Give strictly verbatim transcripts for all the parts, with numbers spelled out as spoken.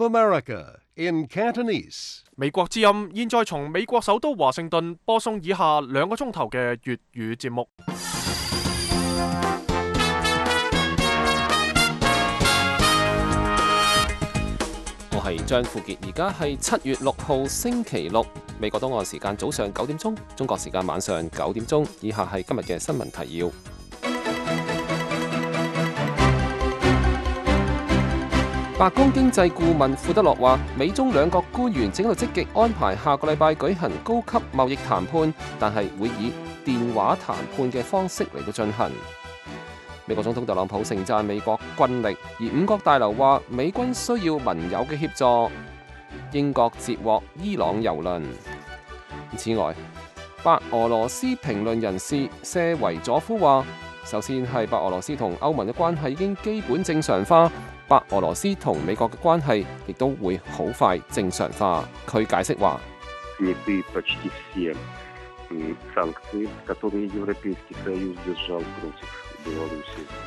America in Cantonese. 美國之音現在從美國首都華盛頓播送以下兩個鐘頭嘅粵語節目。我係張富傑，而家係七月六號星期六，美國東岸時間早上九點鐘，中國時間晚上九點鐘。以下係今日嘅新聞提要。白宮經濟顧問庫德洛話，美中兩國官員正喺度積極安排下個禮拜舉行高級貿易談判，但係會以電話談判嘅方式嚟到進行。美國總統特朗普盛讚美國軍力，而五角大樓話美軍需要盟友嘅協助。英國截獲伊朗油輪。此外，白俄羅斯評論人士謝維佐夫話，首先係白俄羅斯同歐盟嘅關係已經基本正常化，白俄羅斯同美國嘅關係亦都會好快正常化。佢解釋話，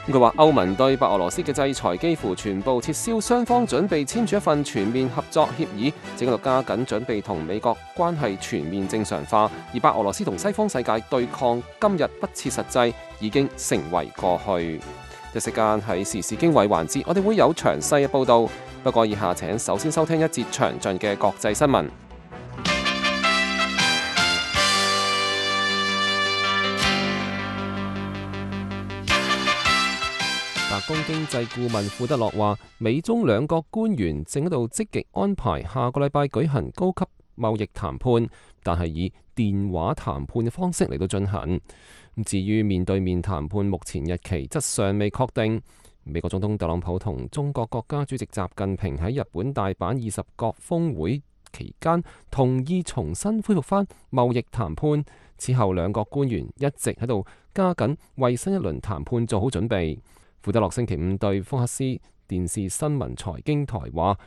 佢話歐盟對白俄羅斯嘅制裁幾乎全部撤銷，雙方準備簽署一份全面合作協議，正喺度加緊準備同美國關係全面正常化。而白俄羅斯同西方世界對抗今日不切實際，已經成為過去。一時間喺時事經緯環節，我哋會有詳細嘅報導。不過以下請首先收聽一節詳盡嘅國際新聞。白宮經濟顧問庫德洛話，美中兩國官員正喺度積極安排下個禮拜舉行高級貿易談判，但係以電話談判嘅方式嚟到進行。至於面對面談判，目前日期則尚未確定。美國總統特朗普同中國國家主席習近平喺日本大阪二十國峰會期間同意重新恢復翻貿易談判。此後兩國官員一直喺度加緊為新一輪談判做好準備。庫德洛星期五對福克斯電視新聞財經台話，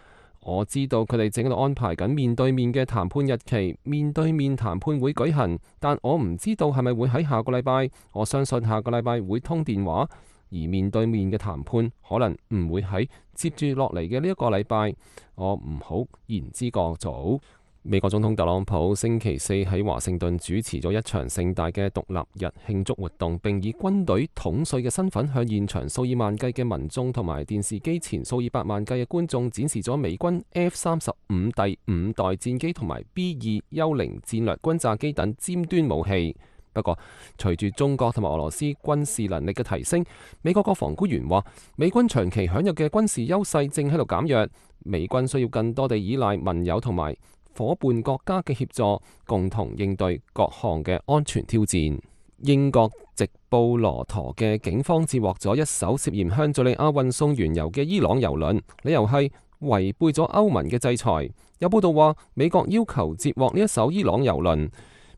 我知道佢哋正喺度安排緊面對面嘅談判日期，面對面談判會舉行，但我唔知道係咪會喺下個禮拜。我相信下個禮拜會通電話，而面對面嘅談判可能唔會喺接住落嚟嘅呢一個禮拜。我唔好言之過早。美國總統特朗普星期四喺華盛頓主持咗一場盛大嘅獨立日慶祝活動，並以軍隊統帥嘅身份向現場數以萬計嘅民眾同埋電視機前數以百萬計嘅觀眾展示咗美軍 F 三十五第五代戰機同埋 B 二幽靈戰略轟炸機等尖端武器。不過，隨住中國同埋俄羅斯軍事能力嘅提升，美國國防官員話，美軍長期享有嘅軍事優勢正喺度減弱，美軍需要更多地依賴盟友同埋伙伴國家嘅協助，共同應對各項嘅安全挑戰。英國直布羅陀嘅警方截獲咗一艘涉嫌向敘利亞運送原油嘅伊朗油輪，理由係違背咗歐盟嘅制裁。有報道話，美國要求截獲呢一艘伊朗油輪。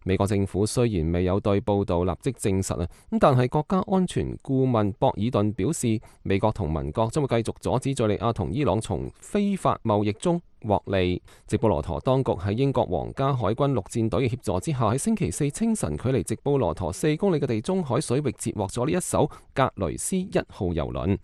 美國政府雖然未有對報道立即證實啊，咁但係國家安全顧問博爾頓表示，美國同盟國將會繼續阻止敘利亞同伊朗從非法貿易中獲利。直布羅陀當局喺英國皇家海軍陸戰隊嘅協助之下，喺星期四清晨距離直布羅陀四公里嘅地中海水域截獲咗呢一艘格雷斯一號油輪。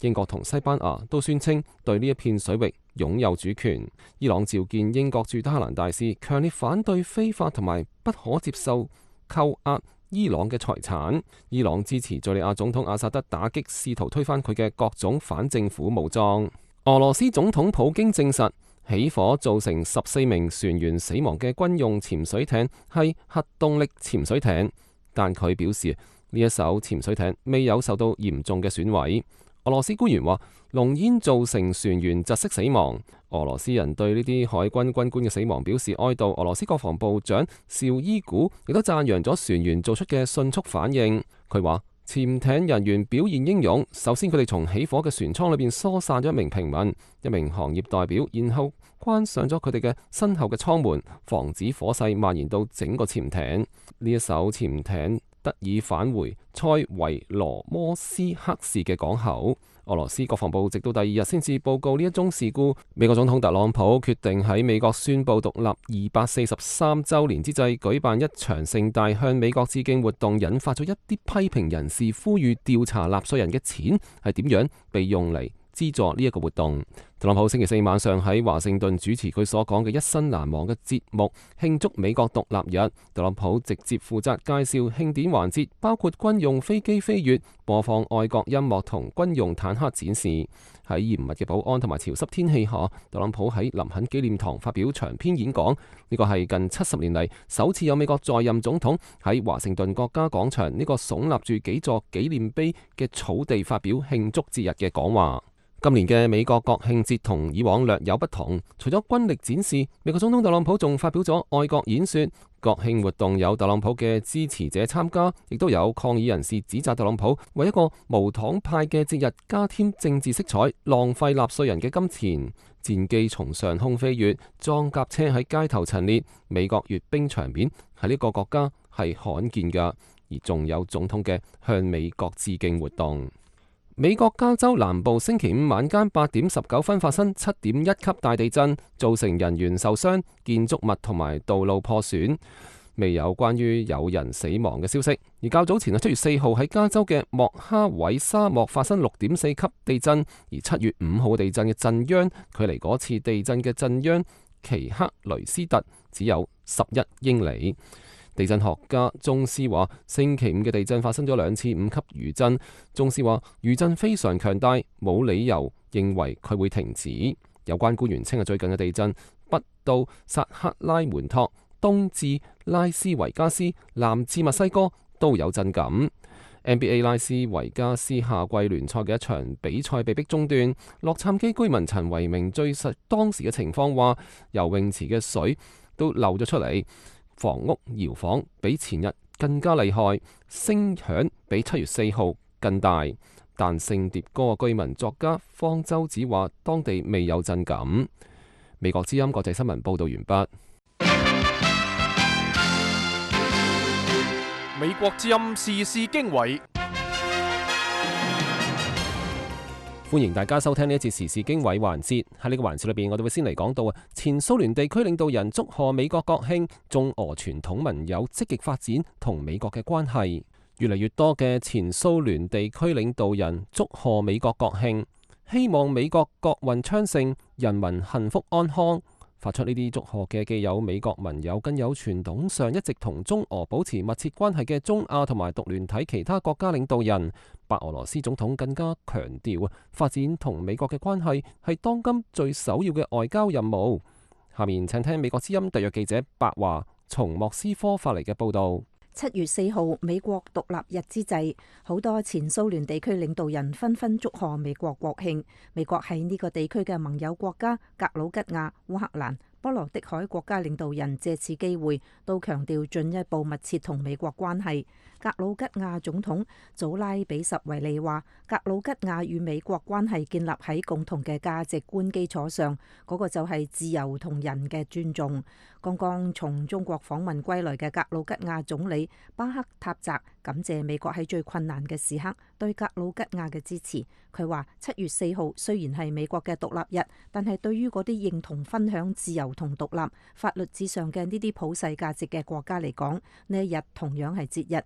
英國同西班牙都宣稱對呢一片水域擁有主權。伊朗召見英國駐德黑蘭大使，強烈反對非法同埋不可接受扣押伊朗嘅財產。伊朗支持敘利亞總統阿薩德打擊試圖推翻佢嘅各種反政府武裝。俄羅斯總統普京證實，起火造成十四名船員死亡嘅軍用潛水艇係核動力潛水艇，但佢表示呢一艘潛水艇未有受到嚴重嘅損毀。俄羅斯官員話，濃煙造成船員窒息死亡。俄羅斯人對呢啲海軍軍官嘅死亡表示哀悼。俄羅斯國防部長紹伊古亦都讚揚咗船員做出嘅迅速反應。佢話，潛艇人員表現英勇。首先，佢哋從起火嘅船艙裏邊疏散咗一名平民、一名行業代表，然後關上咗佢哋嘅身後嘅艙門，防止火勢蔓延到整個潛艇。呢一艘潛艇得以返回塞維羅摩斯克市嘅港口。俄羅斯國防部直到第二日先至報告呢一宗事故。美國總統特朗普決定喺美國宣布獨立二百四十三週年之際舉辦一場盛大向美國致敬活動，引發咗一啲批評人士呼籲調查納稅人嘅錢係點樣被用嚟資助呢一個活動。特朗普星期四晚上喺華盛頓主持佢所講嘅一生難忘嘅節目，慶祝美國獨立日。特朗普直接負責介紹慶典環節，包括軍用飛機飛越、播放愛國音樂同軍用坦克展示。喺嚴密嘅保安同埋潮濕天氣下，特朗普喺林肯紀念堂發表長篇演講。呢個係近七十年嚟首次有美國在任總統喺華盛頓國家廣場呢個聳立住幾座紀念碑嘅草地發表慶祝節日嘅講話。今年嘅美國國慶節同以往略有不同，除咗軍力展示，美國總統特朗普仲發表咗愛國演說。國慶活動有特朗普嘅支持者參加，亦都有抗議人士指責特朗普為一個無黨派嘅節日加添政治色彩，浪費納稅人嘅金錢。戰機從上空飛越，裝甲車喺街頭陳列，美國閱兵場面喺呢個國家係罕見㗎，而仲有總統嘅向美國致敬活動。美國加州南部星期五晚間八點十九分發生七點一級大地震，造成人員受傷、建築物同埋道路破損，未有關於有人死亡嘅消息。而較早前啊，七月四號喺加州嘅莫哈韋沙漠發生六點四級地震，而七月五號地震嘅震央距離嗰次地震嘅震央奇克雷斯特只有十一英里。地震學家鍾斯話，星期五嘅地震發生咗兩次五級餘震。鍾斯話，餘震非常強大，冇理由認為佢會停止。有關官員稱啊，最近嘅地震北到薩克拉門托，東至拉斯維加斯，南至墨西哥都有震感。N B A 拉斯維加斯夏季聯賽嘅一場比賽被迫中斷。洛杉磯居民陳維明敘述當時嘅情況話，游泳池嘅水都漏咗出嚟。房屋搖晃比前日更加厲害，聲響比七月四號更大。但聖迭戈嘅居民作家方舟子話，當地未有震感。美國之音國際新聞報道完畢。美國之音時事經緯。歡迎大家收聽呢一節時事經緯環節。喺呢個環節裏邊，我哋會先嚟講到啊，前蘇聯地區領導人祝賀美國國慶，中俄傳統盟友積極發展同美國嘅關係。越嚟越多嘅前蘇聯地區領導人祝賀美國國慶，希望美國國運昌盛，人民幸福安康。發出呢啲祝賀嘅既有美國盟友，更有傳統上一直同中俄保持密切關係嘅中亞同埋獨聯體其他國家領導人。白俄羅斯總統更加強調啊，發展同美國嘅關係係當今最首要嘅外交任務。下面請聽美國之音特約記者白華從莫斯科發嚟嘅報道。七月四號美國獨立日之際，好多前蘇聯地區領導人紛紛祝賀美國國慶。美國喺呢個地區嘅盟友國家格魯吉亞、烏克蘭、波羅的海國家領導人借此機會都強調進一步密切同美國關係。格魯吉亞總統祖拉比什維利話，格魯吉亞與美國關係建立喺共同嘅價值觀基礎上，嗰個就係自由同人嘅尊重。剛剛從中國訪問歸來嘅格魯吉亞總理巴克塔澤感謝美國喺最困難嘅時刻對格魯吉亞嘅支持。佢話，七月四號雖然係美國嘅獨立日，但係對於嗰啲認同分享自由同獨立、法律至上嘅呢啲普世價值嘅國家嚟講，呢一日同樣係節日。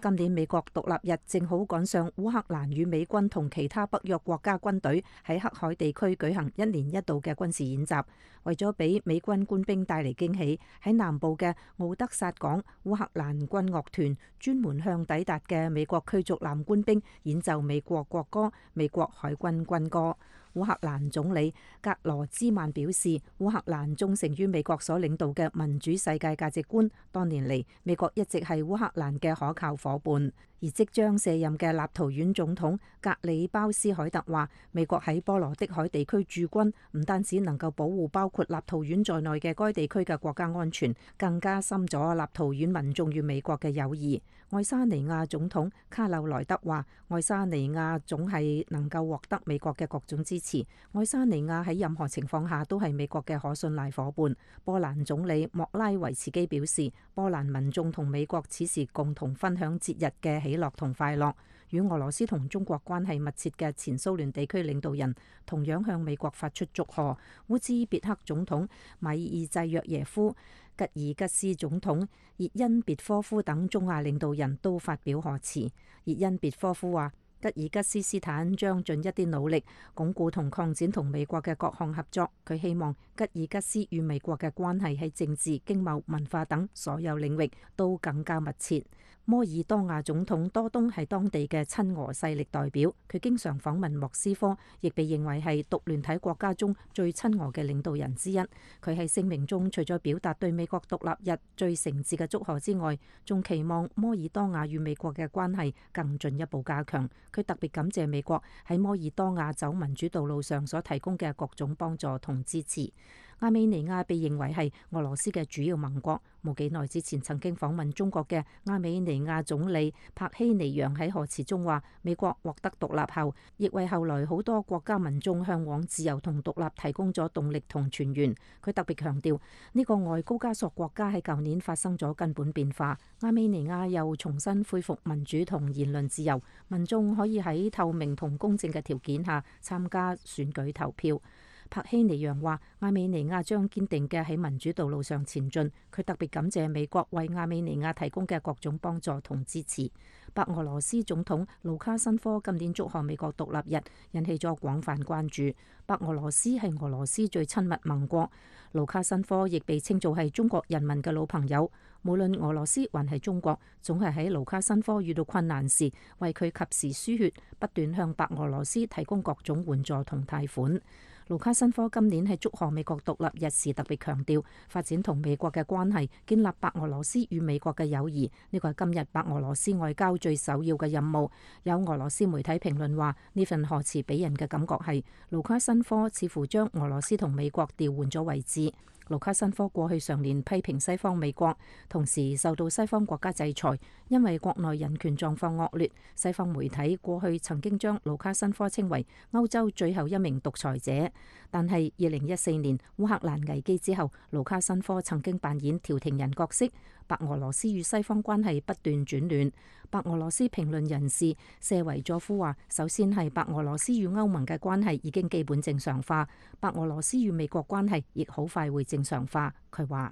今年美國獨立日正好趕上烏克蘭與美軍同其他北約國家軍隊喺黑海地區舉行一年一度嘅軍事演習。為咗俾美軍官兵帶嚟驚喜，喺南部嘅奧德薩港，烏克蘭軍樂團專門向抵達嘅美國驅逐艦官兵演奏美國國歌、美國海軍軍歌。烏克蘭總理格羅茲曼表示，烏克蘭忠誠於美國所領導嘅民主世界價值觀。多年嚟，美國一直係烏克蘭嘅可靠夥伴。而即將卸任嘅立陶宛總統格里鮑斯凱特話，美國喺波羅的海地區駐軍唔單止能夠保護包括立陶宛在內嘅該地區嘅國家安全，更加深咗立陶宛民眾與美國嘅友誼。愛沙尼亞總統卡柳萊德話，愛沙尼亞總係能夠獲得美國嘅各種支持，愛沙尼亞喺任何情況下都係美國嘅可信賴夥伴。波蘭總理莫拉維茨基表示，波蘭民眾同美國此時共同分享節日嘅喜樂同快樂。與俄羅斯同中國關係密切嘅前蘇聯地區領導人同樣向美國發出祝賀。烏茲別克總統米爾濟約耶夫、吉爾吉斯總統熱恩別科夫等中亞領導人都發表賀詞。熱恩別科夫話，吉爾吉斯斯坦將盡一啲努力鞏固同擴展同美國嘅各項合作。佢希望吉爾吉斯與美國嘅關係喺政治、經貿、文化等所有領域都更加密切。摩爾多瓦總統多東係當地嘅親俄勢力代表，佢經常訪問莫斯科，亦被認為係獨聯體國家中最親俄嘅領導人之一。佢喺聲明中除咗表達對美國獨立日最誠摯嘅祝賀之外，仲期望摩爾多瓦與美國嘅關係更進一步加強。佢特別感謝美國喺摩爾多瓦走民主道路上所提供嘅各種幫助同支持。亞美尼亞被認為係俄羅斯嘅主要盟國。冇幾耐之前曾經訪問中國嘅亞美尼亞總理帕希尼揚喺賀詞中話，美國獲得獨立後，亦為後來好多國家民眾向往自由同獨立提供咗動力同泉源。佢特別強調，呢個外高加索國家喺舊年發生咗根本變化，亞美尼亞又重新恢復民主同言論自由，民眾可以喺透明同公正嘅條件下參加選舉投票。帕希尼揚話，亞美尼亞將堅定嘅喺民主道路上前進。佢特別感謝美國為亞美尼亞提供嘅各種幫助同支持。白俄羅斯總統盧卡申科今年祝賀美國獨立日，引起咗廣泛關注。白俄羅斯係俄羅斯最親密盟國，盧卡申科亦被稱做係中國人民嘅老朋友。無論俄羅斯還係中國，總係喺盧卡申科遇到困難時，為佢及時輸血，不斷向白俄羅斯提供各種援助同貸款。盧卡申科今年喺祝賀美國獨立日時特別強調，發展同美國嘅關係，建立白俄羅斯與美國嘅友誼，呢個係今日白俄羅斯外交最首要嘅任務。有俄羅斯媒體評論話，呢份賀詞俾人嘅感覺係盧卡申科似乎將俄羅斯同美國調換咗位置。盧卡申科過去常年批評西方美國，同時受到西方國家制裁，因為國內人權狀況惡劣。西方媒體過去曾經將盧卡申科稱為歐洲最後一名獨裁者，但係二零一四年烏克蘭危機之後，盧卡申科曾經扮演調停人角色。白俄羅斯與西方關係不斷轉亂。白俄羅斯評論人士謝維佐夫話，首先係白俄羅斯與歐盟嘅關係已經基本正常化，白俄羅斯與美國關係亦好快會正常化。佢話，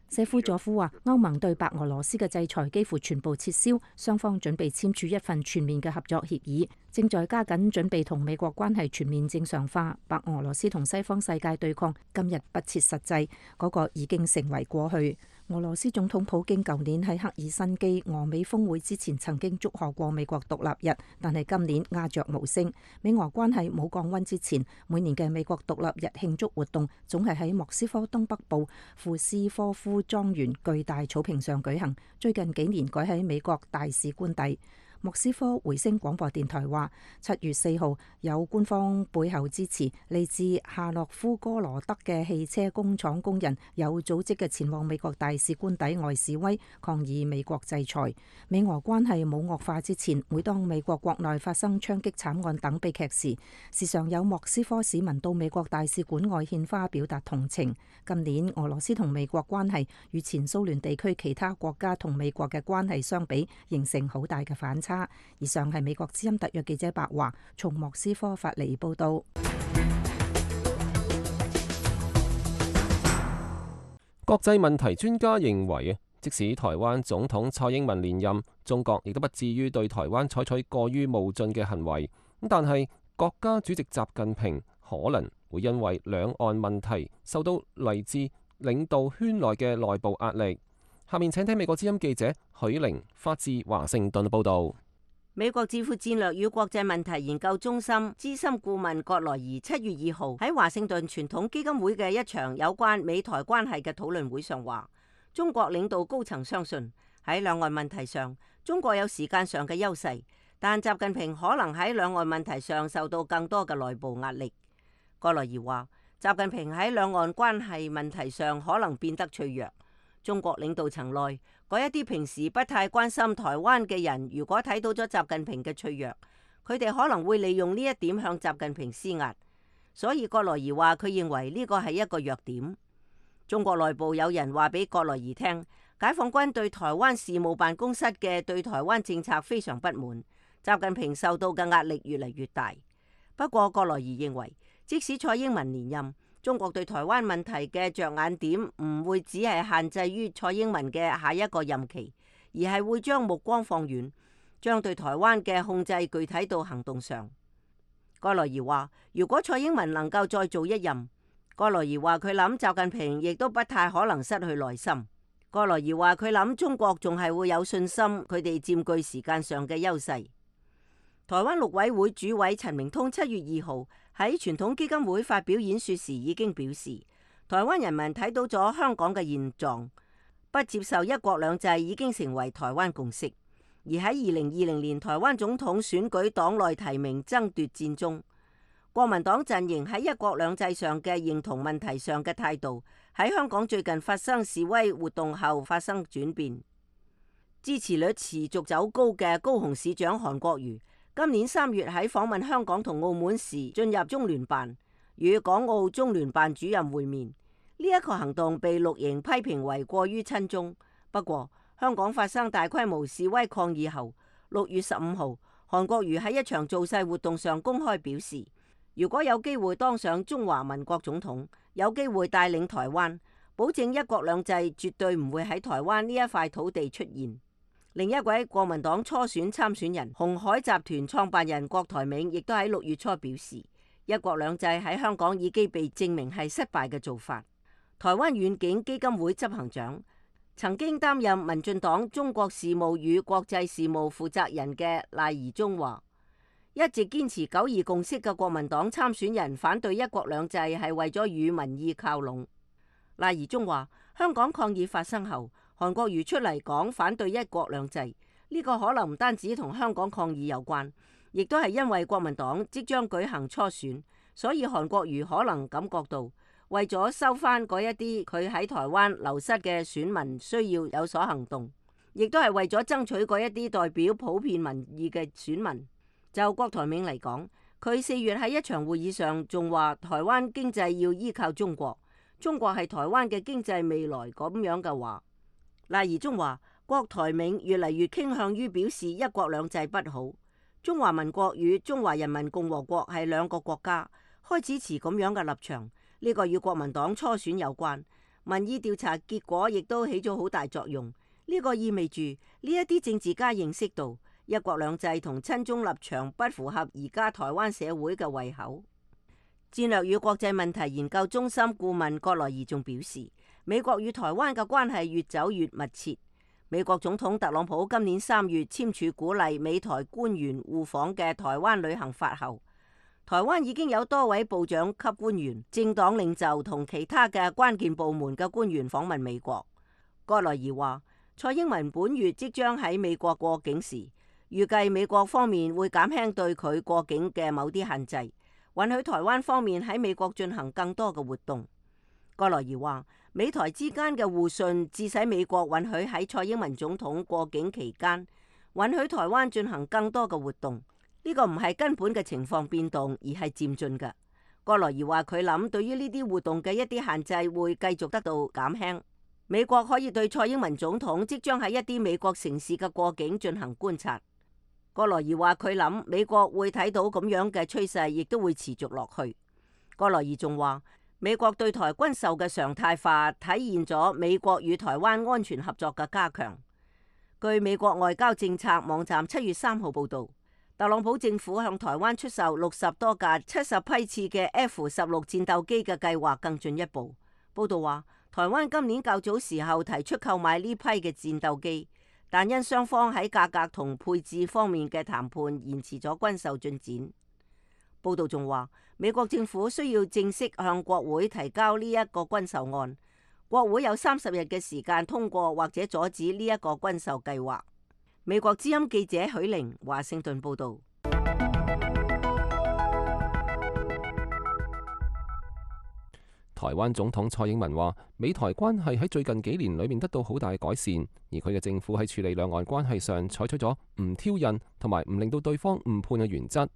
謝夫佐夫話，歐盟對白俄羅斯嘅制裁幾乎全部撤銷，雙方準備簽署一份全面嘅合作協議，正在加緊準備同美國關係全面正常化。白俄羅斯同西方世界對抗今日不切實際，嗰個已經成為過去。俄羅斯總統普京舊年喺赫爾辛基俄美峰會之前曾經祝賀過美國獨立日，但係今年鴉雀無聲。美俄關係冇降溫之前，每年嘅美國獨立日慶祝活動總係喺莫斯科東北部庫斯科夫莊園巨大草坪上舉行，最近幾年改喺美國大使官邸。莫斯科回聲廣播電台話，七月四號有官方背後支持，嚟自夏洛夫哥羅德嘅汽車工廠工人有組織嘅前往美國大使官邸外示威，抗議美國制裁。美俄關係冇惡化之前，每當美國國內發生槍擊慘案等悲劇時，時常有莫斯科市民到美國大使館外獻花表達同情。今年俄羅斯同美國關係與前蘇聯地區其他國家同美國嘅關係相比，形成好大嘅反差。以上係美國之音特約記者白華從莫斯科發嚟報道。國際問題專家認為，即使台灣總統蔡英文連任，中國亦都不至於對台灣採取過於冒進嘅行為。但係國家主席習近平可能會因為兩岸問題受到嚟自領導圈內嘅內部壓力。下面請聽美國之音記者許玲發自華盛頓報道。美國智庫戰略與國際問題研究中心資深顧問葛萊儀七月二號喺華盛頓傳統基金會嘅一場有關美台關係嘅討論會上話，中國領導高層相信喺兩岸問題上，中國有時間上嘅優勢，但習近平可能喺兩岸問題上受到更多嘅內部壓力。葛萊儀話，習近平喺兩岸關係問題上可能變得脆弱。中國領導層內嗰一啲平時不太關心台灣嘅人，如果睇到咗習近平嘅脆弱，佢哋可能會利用呢一點向習近平施壓。所以葛萊儀話，佢認為呢個係一個弱點。中國內部有人話俾葛萊儀聽，解放軍對台灣事務辦公室嘅對台灣政策非常不滿，習近平受到嘅壓力越嚟越大。不過葛萊儀認為，即使蔡英文連任，中國對台灣問題嘅着眼點唔會只係限制於蔡英文嘅下一個任期，而係會將目光放遠，將對台灣嘅控制具體到行動上。蓋萊儀話：如果蔡英文能夠再做一任，蓋萊儀話佢諗習近平亦都不太可能失去耐心。蓋萊儀話佢諗中國仲係會有信心，佢哋佔據時間上嘅優勢。台灣陸委會主委陳明通七月二號喺傳統基金會發表演說時已經表示，台灣人民睇到咗香港嘅現狀，不接受一國兩制已經成為台灣共識。而喺二零二零年台灣總統選舉黨內提名爭奪戰中，國民黨陣營喺一國兩制上嘅認同問題上嘅態度，喺香港最近發生示威活動後發生轉變。支持率持續走高嘅高雄市長韓國瑜，今年三月喺訪問香港同澳門時進入中聯辦，與港澳中聯辦主任會面。呢一個行動被綠營批評為過於親中。不過，香港發生大規模示威抗議後，六月十五號，韓國瑜喺一場造勢活動上公開表示，如果有機會當上中華民國總統，有機會帶領台灣，保證一國兩制絕對唔會喺台灣呢一塊土地出現。另一位國民黨初選參選人鴻海集團創辦人郭台銘亦都喺六月初表示，一國兩制喺香港已經被證明係失敗嘅做法。台灣遠景基金會執行長、曾經擔任民進黨中國事務與國際事務負責人嘅賴宜中話，一直堅持九二共識嘅國民黨參選人反對一國兩制係為咗與民意靠攏。賴宜中話，香港抗議發生後，韓國瑜出嚟講反對一國兩制，呢個可能唔單止同香港抗議有關，亦都係因為國民黨即將舉行初選，所以韓國瑜可能感覺到為咗收翻嗰一啲佢喺台灣流失嘅選民，需要有所行動，亦都係為咗爭取嗰一啲代表普遍民意嘅選民。就郭台銘嚟講，佢四月喺一場會議上仲話台灣經濟要依靠中國，中國係台灣嘅經濟未來咁樣嘅話。賴宜中話，郭台銘越嚟越傾向於表示一國兩制不好，中華民國與中華人民共和國係兩個國家，開始持咁樣嘅立場。呢個與國民黨初選有關，民意調查結果亦都起咗好大作用。呢個意味住呢一啲政治家認識到一國兩制同親中立場不符合而家台灣社會嘅胃口。戰略與國際問題研究中心顧問葛萊儀仲表示，美國與台灣嘅關係越走越密切。美國總統特朗普今年三月簽署鼓勵美台官員互訪嘅台灣旅行法後，台灣已經有多位部長級官員、政黨領袖同其他嘅關鍵部門嘅官員訪問美國。葛萊儀話，蔡英文本月即將喺美國過境時，預計美國方面會減輕對佢過境嘅某啲限制，允許台灣方面喺美國進行更多嘅活動。葛萊儀話，美台之間嘅互信致使美國允許喺蔡英文總統過境期間，允許台灣進行更多嘅活動。呢個唔係根本嘅情況變動，而係漸進嘅。葛萊儀話佢諗，對於呢啲活動嘅一啲限制會繼續得到減輕。美國可以對蔡英文總統即將喺一啲美國城市嘅過境進行觀察。葛萊儀話佢諗，美國會睇到咁樣嘅趨勢，亦都會持續落去。葛萊儀仲話，美國對台軍售嘅常態化體現咗美國與台灣安全合作嘅加強。據美國外交政策網站七月三號報導，特朗普政府向台灣出售六十多架七十批次嘅 F 十六戰鬥機嘅計劃更進一步。報導話，台灣今年較早時候提出購買呢批嘅戰鬥機，但因雙方喺價格同配置方面嘅談判延遲咗軍售進展。報導仲話，美國政府需要正式向國會提交呢一個軍售案，國會有三十日嘅時間通過或者阻止呢一個軍售計劃。美國之音記者許玲華盛頓報導。台灣總統蔡英文話，美台關係喺最近幾年裏面得到好大改善，而佢嘅政府喺處理兩岸關係上採取咗唔挑釁同埋唔令到對方誤判嘅原則。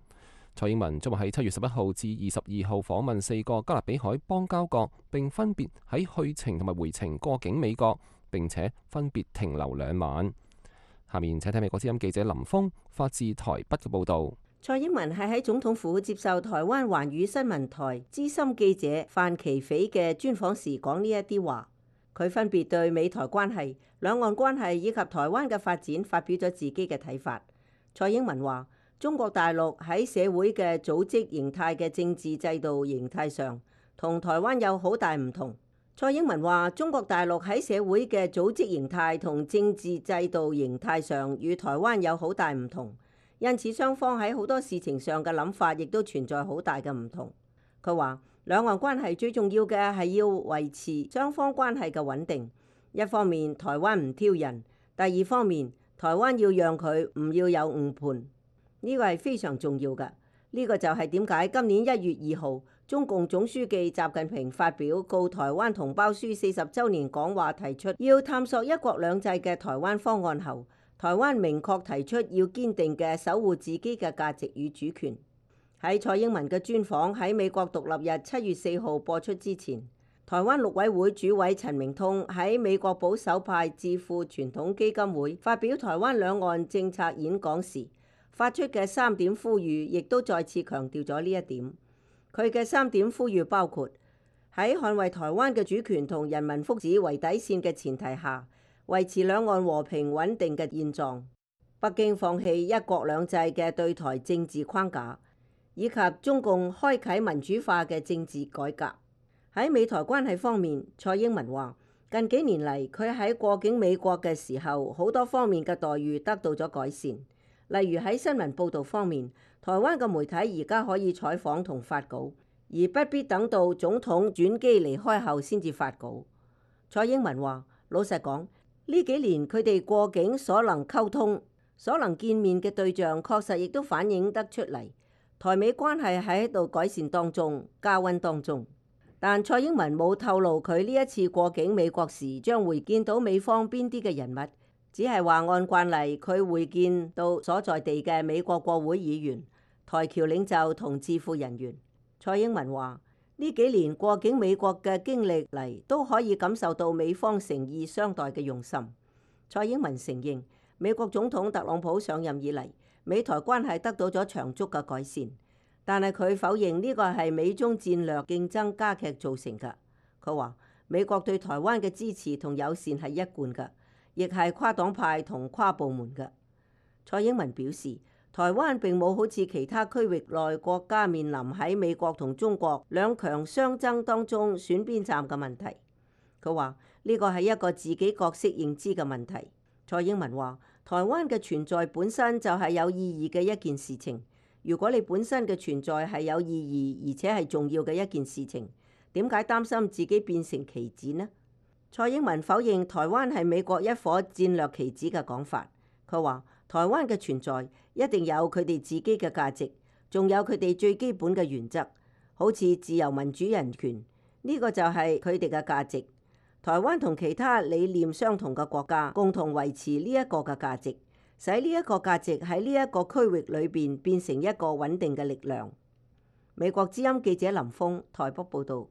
蔡英文將會喺七月十一號至二十二號訪問四個加勒比海邦交國，並分別喺去程同埋回程過境美國，並且分別停留兩晚。下面請睇美國之音記者林峰發自台北嘅報導。蔡英文係喺總統府接受台灣環宇新聞台資深記者范琪斐嘅專訪時講呢一啲話。佢分別對美台關係、兩岸關係以及台灣嘅發展發表咗自己嘅睇法。蔡英文話：中國大陸喺社會嘅組織形態嘅政治制度形態上，同台灣有好大唔同。蔡英文話：中國大陸喺社會嘅組織形態同政治制度形態上，與台灣有好大唔同，因此雙方喺好多事情上嘅諗法亦都存在好大嘅唔同。佢話：兩岸關係最重要嘅係要維持雙方關係嘅穩定。一方面台灣唔挑釁，第二方面台灣要讓佢唔要有誤判，呢個係非常重要嘅。呢個就係點解今年一月二號中共總書記習近平發表告台灣同胞書四十週年講話，提出要探索一國兩制嘅台灣方案後，台灣明確提出要堅定嘅守護自己嘅價值與主權。喺蔡英文嘅專訪喺美國獨立日七月四號播出之前，台灣陸委會主委陳明通喺美國保守派智庫傳統基金會發表台灣兩岸政策演講時，發出嘅三點呼籲，亦都再次強調咗呢一點。佢嘅三點呼籲包括喺捍衛台灣嘅主權同人民福祉為底線嘅前提下，維持兩岸和平穩定嘅現狀；北京放棄一國兩制嘅對台政治框架，以及中共開啟民主化嘅政治改革。喺美台關係方面，蔡英文話：近幾年嚟，佢喺過境美國嘅時候，好多方面嘅待遇得到咗改善。例如喺新聞報導方面，台灣嘅媒體而家可以採訪同發稿，而不必等到總統轉機離開後先至發稿。蔡英文話：老實講，呢幾年佢哋過境所能溝通、所能見面嘅對象，確實亦都反映得出嚟。台美關係喺度改善當中、加溫當中，但蔡英文冇透露佢呢一次過境美國時將會見到美方邊啲嘅人物，只係話按慣例佢會見到所在地嘅美國國會議員、台僑領袖同智庫人員。蔡英文話：呢幾年過境美國嘅經歷嚟，都可以感受到美方誠意相待嘅用心。蔡英文承認，美國總統特朗普上任以嚟，美台關係得到咗長足嘅改善，但係佢否認呢個係美中戰略競爭加劇造成嘅。佢話美國對台灣嘅支持同友善係一貫嘅，亦係跨黨派同跨部門嘅。蔡英文表示，台灣並冇好似其他區域內國家面臨喺美國同中國兩強相爭當中選邊站嘅問題。佢話呢個係一個自己角色認知嘅問題。蔡英文話：台灣嘅存在本身就係有意義嘅一件事情。如果你本身嘅存在係有意義而且係重要嘅一件事情，點解擔心自己變成棋子呢？蔡英文否認台灣係美國一顆戰略棋子嘅講法。佢話台灣嘅存在一定有佢哋自己嘅價值，仲有佢哋最基本嘅原則，好似自由民主人權，呢個就係佢哋嘅價值。台灣同其他理念相同嘅國家共同維持呢一個嘅價值，使呢一個價值喺呢一個區域裏邊變成一個穩定嘅力量。美國之音記者林峰台北報道。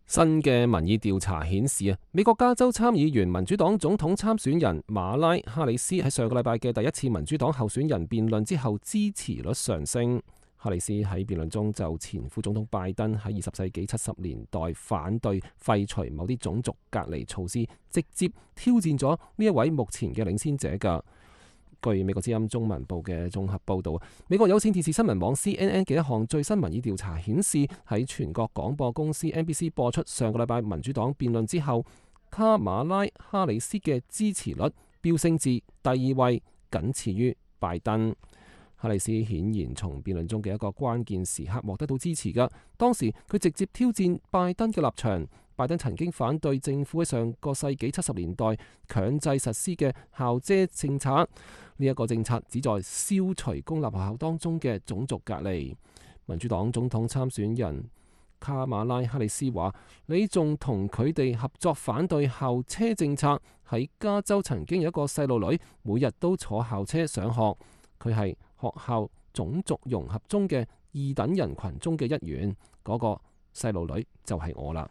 新嘅民意調查顯示啊，美國加州參議員民主黨總統參選人馬拉哈里斯喺上個禮拜嘅第一次民主黨候選人辯論之後支持率上升。哈里斯喺辯論中就前副總統拜登喺二十世紀七十年代反對廢除某啲種族隔離措施，直接挑戰咗呢一位目前嘅領先者㗎。據美國之音中文部嘅綜合報導，美國有線電視新聞網 C N N 嘅一項最新民意調查顯示，喺全國廣播公司 N B C 播出上個禮拜民主黨辯論之後，卡馬拉哈里斯嘅支持率飆升至第二位，僅次於拜登。哈里斯顯然從辯論中嘅一個關鍵時刻獲得到支持㗎。當時佢直接挑戰拜登嘅立場。拜登曾經反對政府喺上個世紀七十年代強制實施嘅校遮政策，呢、這、一個政策旨在消除公立學校當中嘅種族隔離。民主黨總統參選人卡馬拉哈里斯話：你仲同佢哋合作反對校車政策。喺加州曾經有一個細路女每日都坐校車上學，佢係學校種族融合中嘅二等人群中嘅一員，嗰、那個細路女就係我啦。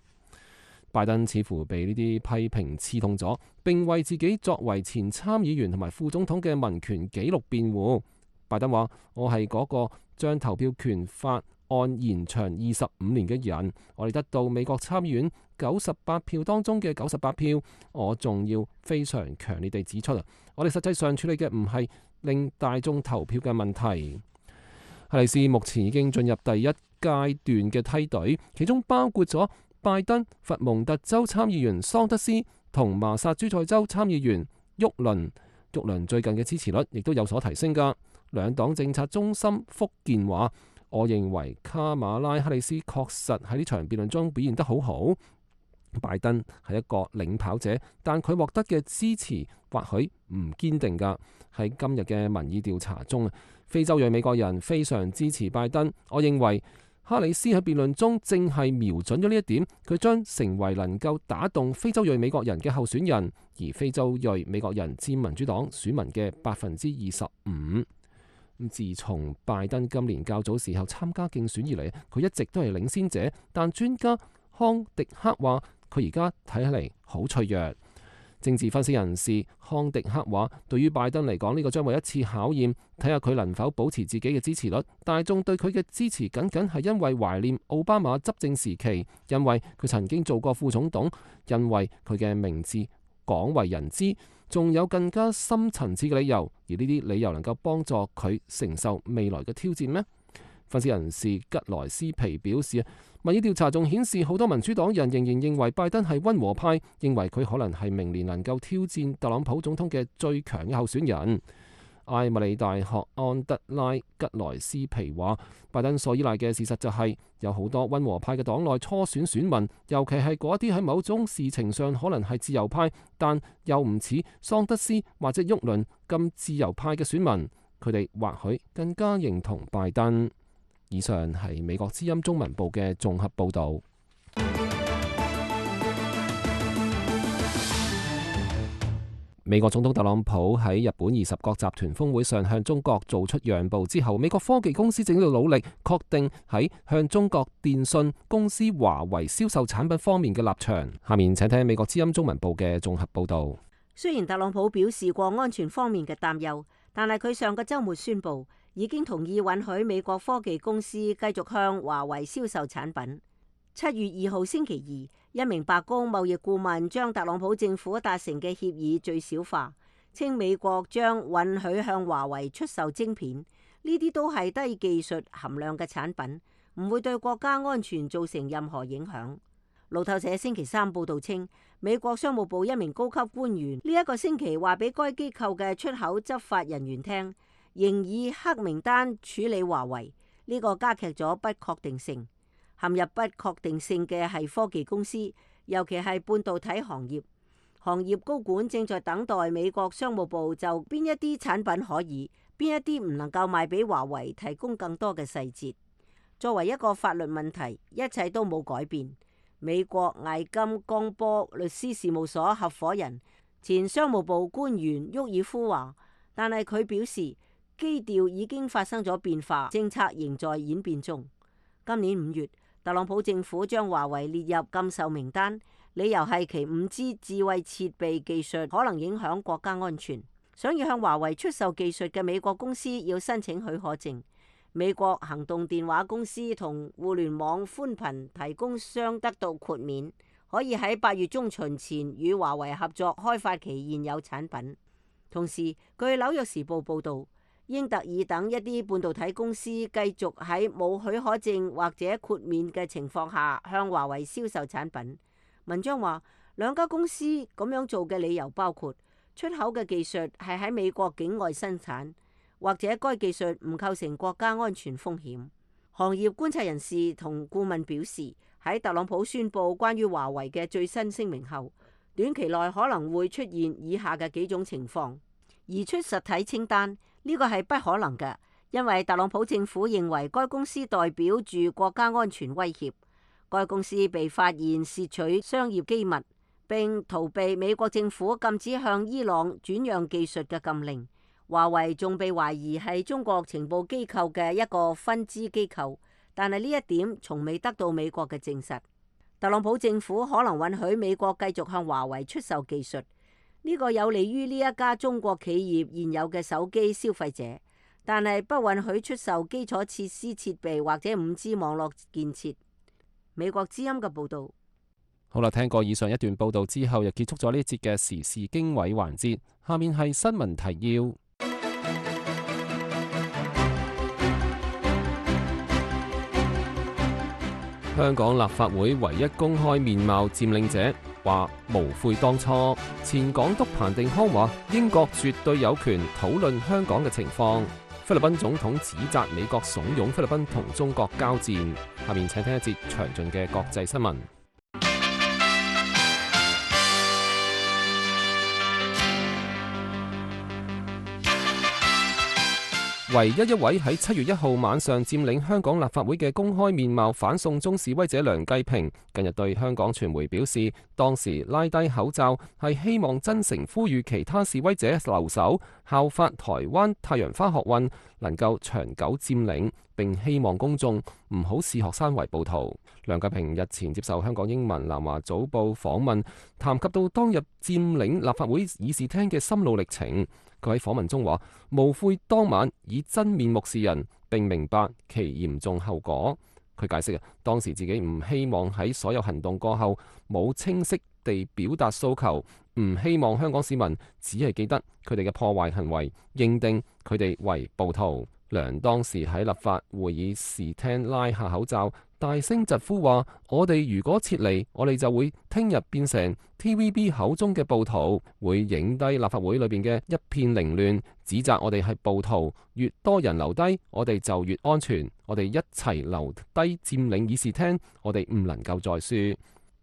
拜登似乎被呢啲批評刺痛咗，並為自己作為前參議員同埋副總統嘅民權紀錄辯護。拜登話：我係嗰個將投票權法案延長二十五年嘅人，我哋得到美國參議院九十八票當中嘅九十八票。我仲要非常強烈地指出啊，我哋實際上處理嘅唔係令大眾投票嘅問題。哈里斯目前已經進入第一階段嘅梯隊，其中包括咗拜登、佛蒙特州參議員桑德斯同麻薩諸塞州參議員沃倫。沃倫最近嘅支持率亦都有所提升㗎。兩黨政策中心福建話：我認為卡馬拉哈里斯確實喺呢場辯論中表現得好好。拜登係一個領跑者，但佢獲得嘅支持或許唔堅定㗎。喺今日嘅民意調查中，非洲裔美國人非常支持拜登。我認為哈里斯喺辯論中正係瞄準咗呢一點，佢將成為能夠打動非洲裔美國人嘅候選人，而非洲裔美國人佔民主黨選民嘅百分之二十五。自從拜登今年較早時候參加競選以嚟，佢一直都係領先者，但專家康迪克話佢而家睇起嚟好脆弱。政治分析人士康迪克話，對於拜登嚟講，呢個將會一次考驗，睇下佢能否保持自己嘅支持率。大眾對佢嘅支持僅僅係因為懷念奧巴馬執政時期，因為佢曾經做過副總統，因為佢嘅名字廣為人知，仲有更加深層次嘅理由，而呢啲理由能夠幫助佢承受未來嘅挑戰咩？分析人士吉萊斯皮表示，民意調查仲顯示好多民主黨人仍然認為拜登係溫和派，認為佢可能係明年能夠挑戰特朗普總統嘅最強嘅候選人。艾默里大學安德拉吉萊斯皮話，拜登所依賴嘅事實就係有好多溫和派嘅黨內初選選民，尤其係嗰啲喺某種事情上可能係自由派，但又唔似桑德斯或者沃倫咁自由派嘅選民，佢哋或許更加認同拜登。以上係美國之音中文部嘅綜合報導。美國總統特朗普喺日本二十國集團峰會上向中國做出讓步之後，美國科技公司正喺度努力確定喺向中國電信公司華為銷售產品方面嘅立場。下面請聽美國之音中文部嘅綜合報導。雖然特朗普表示過安全方面嘅擔憂，但係佢上個週末宣布已經同意允許美國科技公司繼續向華為銷售產品。七月二號星期二，一名白宮貿易顧問將特朗普政府達成嘅協議最小化，稱美國將允許向華為出售晶片，呢啲都係低技術含量嘅產品，唔會對國家安全造成任何影響。路透社星期三報道稱，美國商務部一名高級官員呢一個星期話俾該機構嘅出口執法人員聽，仍以黑名單處理華為，呢個加劇咗不確定性。陷入不確定性嘅係科技公司，尤其係半導體行業。行業高管正在等待美國商務部就邊一啲產品可以，邊一啲唔能夠賣俾華為提供更多嘅細節。作為一個法律問題，一切都冇改變。美國艾金江波律師事務所合夥人、前商務部官員沃爾夫話，但係佢表示基調已經發生咗變化，政策仍在演變中。今年五月，特朗普政府將華為列入禁售名單，理由係其五 G 智慧設備技術可能影響國家安全。想要向華為出售技術嘅美國公司要申請許可證。美國行動電話公司同互聯網寬頻提供商得到豁免，可以喺八月中旬前與華為合作開發其現有產品。同時，據紐約時報報導，英特爾等一啲半導體公司繼續喺冇許可證或者豁免嘅情況下向華為銷售產品。文章話，兩家公司咁樣做嘅理由包括出口嘅技術係喺美國境外生產，或者該技術唔構成國家安全風險。行業觀察人士同顧問表示，喺特朗普宣布關於華為嘅最新聲明後，短期內可能會出現以下嘅幾種情況：移出實體清單。呢個係不可能嘅，因為特朗普政府認為該公司代表住國家安全威脅。該公司被發現竊取商業機密，並逃避美國政府禁止向伊朗轉讓技術嘅禁令。華為仲被懷疑係中國情報機構嘅一個分支機構，但係呢一點從未得到美國嘅證實。特朗普政府可能允許美國繼續向華為出售技術，呢個有利於呢一家中國企業現有嘅手機消費者，但係不允許出售基礎設施設備或者五 G 網絡建設。美國之音嘅報導。好啦，聽過以上一段報導之後，又結束咗呢一節嘅時事經緯環節。下面係新聞提要。香港立法會唯一公開面貌佔領者話無悔當初。前港督彭定康話英國絕對有權討論香港嘅情況。菲律賓總統指責美國慫恿菲律賓同中國交戰。下面請聽一節詳盡嘅國際新聞。唯一一位喺七月一號晚上佔領香港立法會嘅公開面貌反送中示威者梁繼平，近日對香港傳媒表示，當時拉低口罩係希望真誠呼籲其他示威者留守，效法台灣太陽花學運能夠長久佔領，並希望公眾唔好視學生為暴徒。梁繼平日前接受香港英文南華早報訪問，談及到當日佔領立法會議事廳嘅心路歷程。佢喺訪問中話：無悔當晚以真面目示人，並明白其嚴重後果。佢解釋啊，當時自己唔希望喺所有行動過後冇清晰地表達訴求，唔希望香港市民只係記得佢哋嘅破壞行為，認定佢哋為暴徒。梁當時喺立法會議事廳拉下口罩，大聲疾呼話：我哋如果撤離，我哋就會聽日變成 T V B 口中嘅暴徒，會影低立法會裏邊嘅一片凌亂，指責我哋係暴徒。越多人留低，我哋就越安全。我哋一齊留低佔領議事廳，我哋唔能夠再輸。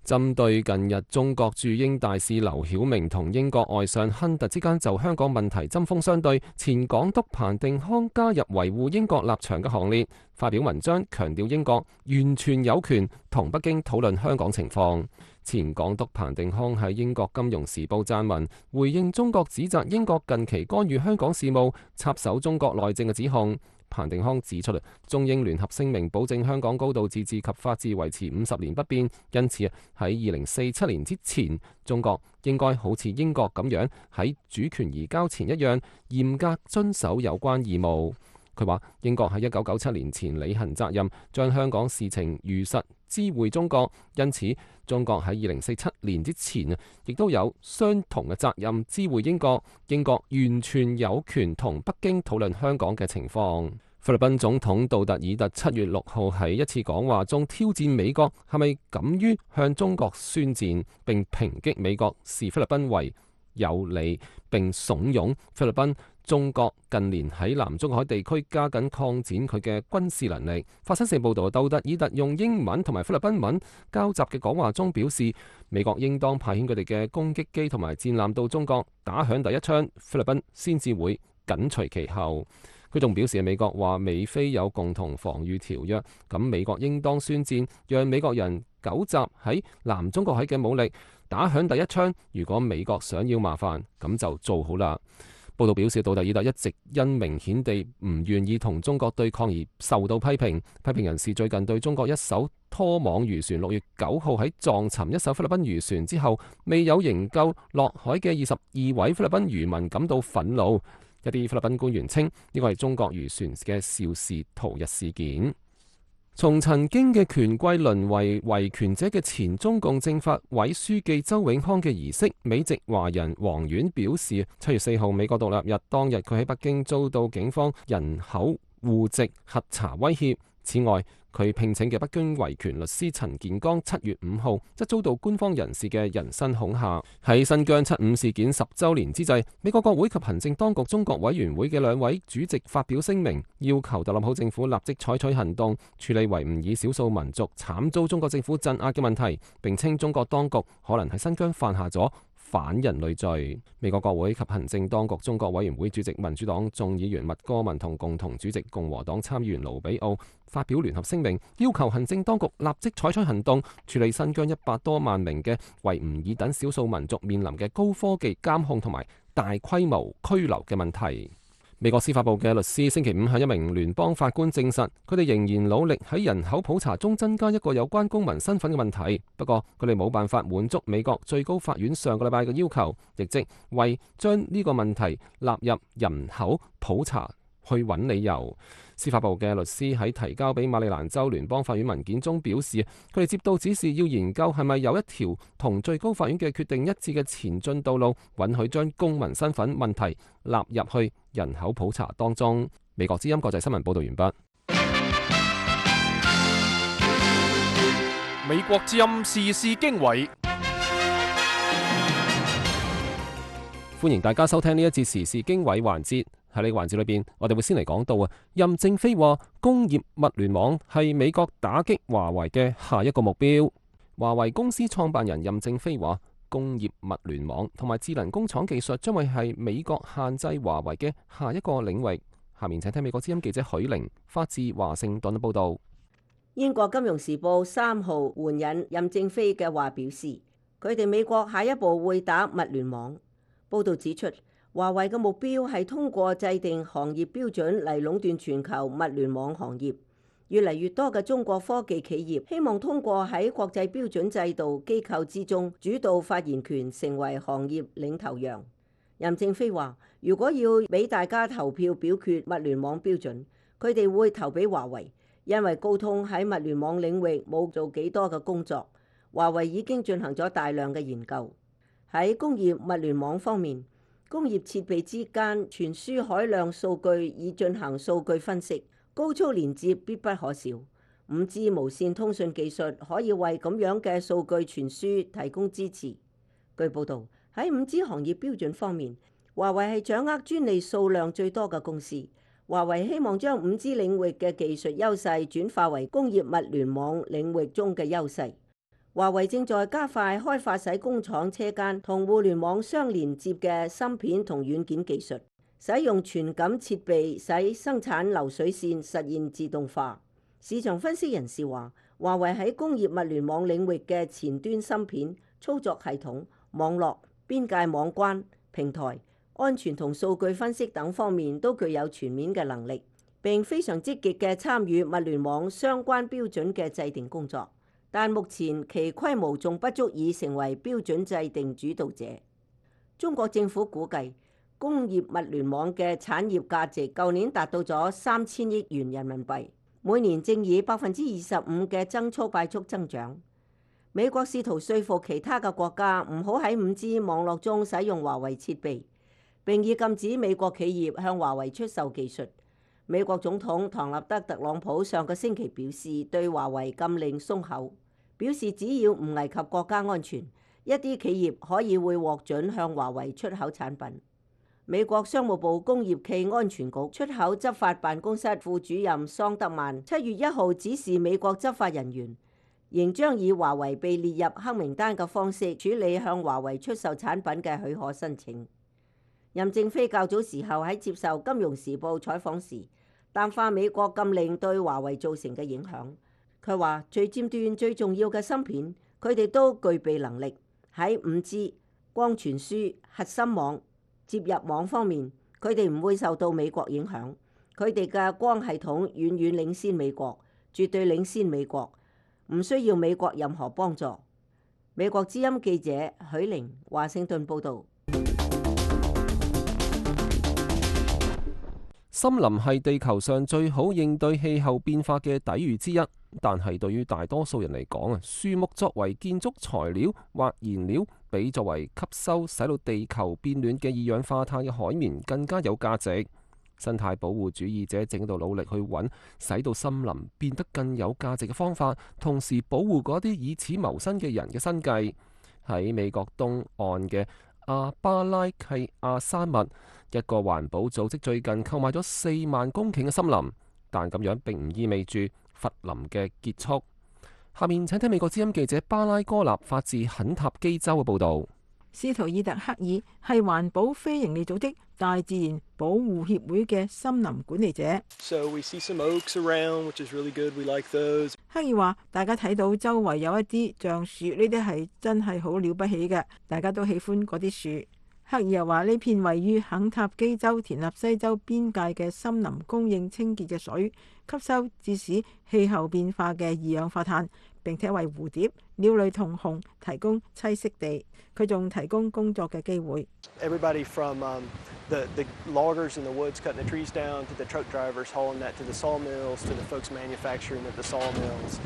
針對近日中國駐英大使劉曉明同英國外相亨特之間就香港問題針鋒相對，前港督彭定康加入維護英國立場嘅行列，發表文章強調英國完全有權同北京討論香港情況。前港督彭定康喺英國金融時報撰文，回應中國指責英國近期干預香港事務、插手中國內政嘅指控。彭定康指出，中英聯合聲明保證香港高度自治及法治維持五十年不變，因此喺二零四七年之前，中國應該好似英國咁樣喺主權移交前一樣嚴格遵守有關義務。佢話英國喺一九九七年前履行責任，將香港事情如實知會中國，因此中國喺二零四七年之前啊，亦都有相同嘅責任知會英國。英國完全有權同北京討論香港嘅情況。菲律賓總統杜特爾特七月六號喺一次講話中挑戰美國係咪敢於向中國宣戰，並抨擊美國視菲律賓為有理，並慫恿菲律賓中國近年喺南中海地區加緊擴展佢嘅軍事能力。法新社報道，杜特爾特用英文同埋菲律賓文交集嘅講話中表示，美國應當派遣佢哋嘅攻擊機同埋戰艦到中國打響第一槍，菲律賓先至會緊隨其後。佢仲表示，美國話美菲有共同防禦條約，咁美國應當宣戰，讓美國人糾集喺南中國海嘅武力打響第一槍。如果美國想要麻煩，咁就做好啦。報道表示，杜特爾特一直因明顯地唔願意同中國對抗而受到批評。批評人士最近對中國一艘拖網漁船六月九號喺撞沉一艘菲律賓漁船之後未有營救落海嘅二十二位菲律賓漁民感到憤怒。一啲菲律賓官員稱呢個係中國漁船嘅肇事逃逸事件。從曾經嘅權貴淪為維權者嘅前中共政法委書記周永康嘅儀式，美籍華人黃遠表示，七月四號美國獨立日當日，佢喺北京遭到警方人口戶籍核查威脅。此外，佢聘請嘅北京維權律師陳建剛七月五號則遭到官方人士嘅人身恐嚇。喺新疆七五事件十週年之際，美國國會及行政當局中國委員會嘅兩位主席發表聲明，要求特朗普政府立即採取行動，處理維吾爾少數民族慘遭中國政府鎮壓嘅問題，並稱中國當局可能喺新疆犯下咗反人類罪。美國國會及行政當局中國委員會主席民主黨眾議員麥戈文同共同主席共和黨參議員盧比奧發表聯合聲明，要求行政當局立即採取行動，處理新疆一百多萬名嘅維吾爾等少數民族面臨嘅高科技監控同埋大規模拘留嘅問題。美國司法部嘅律師星期五向一名聯邦法官證實，佢哋仍然努力喺人口普查中增加一個有關公民身份嘅問題。不過佢哋冇辦法滿足美國最高法院上個禮拜嘅要求，亦即為將呢個問題納入人口普查去揾理由。司法部嘅律師喺提交俾馬里蘭州聯邦法院文件中表示，佢哋接到指示要研究係咪有一條同最高法院嘅決定一致嘅前進道路，允許將公民身份問題納入去人口普查當中。美國之音國際新聞報道完畢。美國之音時事經緯，歡迎大家收聽呢一節時事經緯環節。喺呢個環節裏邊，我哋會先嚟講到啊，任正非話工業物聯網係美國打擊華為嘅下一個目標。華為公司創辦人任正非話，工業物聯網同埋智能工廠技術將會係美國限制華為嘅下一個領域。下面請聽美國之音記者許玲發自華盛頓嘅報道。英國金融時報三號援引任正非嘅話表示，佢哋美國下一步會打物聯網。報道指出，華為嘅目標係通過制定行業標準嚟壟斷全球物聯網行業。越嚟越多嘅中國科技企業希望通過喺國際標準制度機構之中主導發言權，成為行業領頭羊。任正非話，如果要俾大家投票表決物聯網標準，佢哋會投俾華為，因為高通喺物聯網領域冇做幾多嘅工作，華為已經進行咗大量嘅研究。喺工業物聯網方面，工業設備之間傳輸海量數據以進行數據分析，高速連接必不可少。五 G 無線通訊技術可以為咁樣嘅數據傳輸提供支持。據報導，喺五 G 行業標準方面，華為係掌握專利數量最多嘅公司。華為希望將五 G 領域嘅技術優勢轉化為工業物聯網領域中嘅優勢。華為正在加快開發使工廠車間同互聯網相連接嘅芯片同軟件技術，使用傳感設備使生產流水線實現自動化。市場分析人士話，華為喺工業物聯網領域嘅前端芯片、操作系統、網絡、邊界網關、平台、安全同數據分析等方面都具有全面嘅能力，並非常積極嘅參與物聯網相關標準嘅制定工作。但目前其規模仲不足以成為標準制定主導者。中國政府估計工業物聯網嘅產業價值舊年達到咗三千億元人民幣，每年正以百分之二十五嘅增速快速增長。美國試圖說服其他嘅國家唔好喺五 G 網絡中使用華為設備，並以禁止美國企業向華為出售技術。美國總統唐納德·特朗普上個星期表示，對華為禁令鬆口。表示只要唔危及國家安全，一啲企業可以會獲准向華為出口產品。美國商務部工業暨安全局出口執法辦公室副主任桑德曼七月一號指示美國執法人員，仍將以華為被列入黑名單嘅方式處理向華為出售產品嘅許可申請。任正非較早時候喺接受《金融時報》採訪時，淡化美國禁令對華為造成嘅影響。佢話最尖端最重要嘅芯片，佢哋都具備能力喺五 G、光傳輸、核心網、接入網方面，佢哋唔會受到美國影響。佢哋嘅光系統遠遠領先美國，絕對領先美國，唔需要美國任何幫助。美國之音記者許玲，華盛頓報導。森林係地球上最好應對氣候變化嘅抵禦之一，但係對於大多數人嚟講啊，樹木作為建築材料或燃料，比作為吸收使到地球變暖嘅二氧化碳嘅海綿更加有價值。生態保護主義者正喺度努力去揾使到森林變得更有價值嘅方法，同時保護嗰啲以此謀生嘅人嘅生計。喺美國東岸嘅阿巴拉契亞山脈，一個環保組織最近購買咗四萬公頃嘅森林，但咁樣並唔意味住伐林嘅結束。下面請聽美國之音記者巴拉哥納發自肯塔基州嘅報導。斯圖爾特克爾係環保非營利組織大自然保護協會嘅森林管理者。So we see some oaks around, which is really good. We like those. 克爾話：大家睇到周圍有一啲橡樹，呢啲係真係好了不起嘅，大家都喜歡嗰啲樹。克爾又話呢片位於肯塔基州田納西州邊界嘅森林供應清潔嘅水，吸收致使氣候變化嘅二氧化碳，並且為蝴蝶、鳥類同熊提供棲息地。佢仲提供工作嘅機會。Everybody from um, the, the loggers in the woods cutting the trees down, to the truck drivers hauling that to the sawmills, to the folks manufacturing at the sawmills.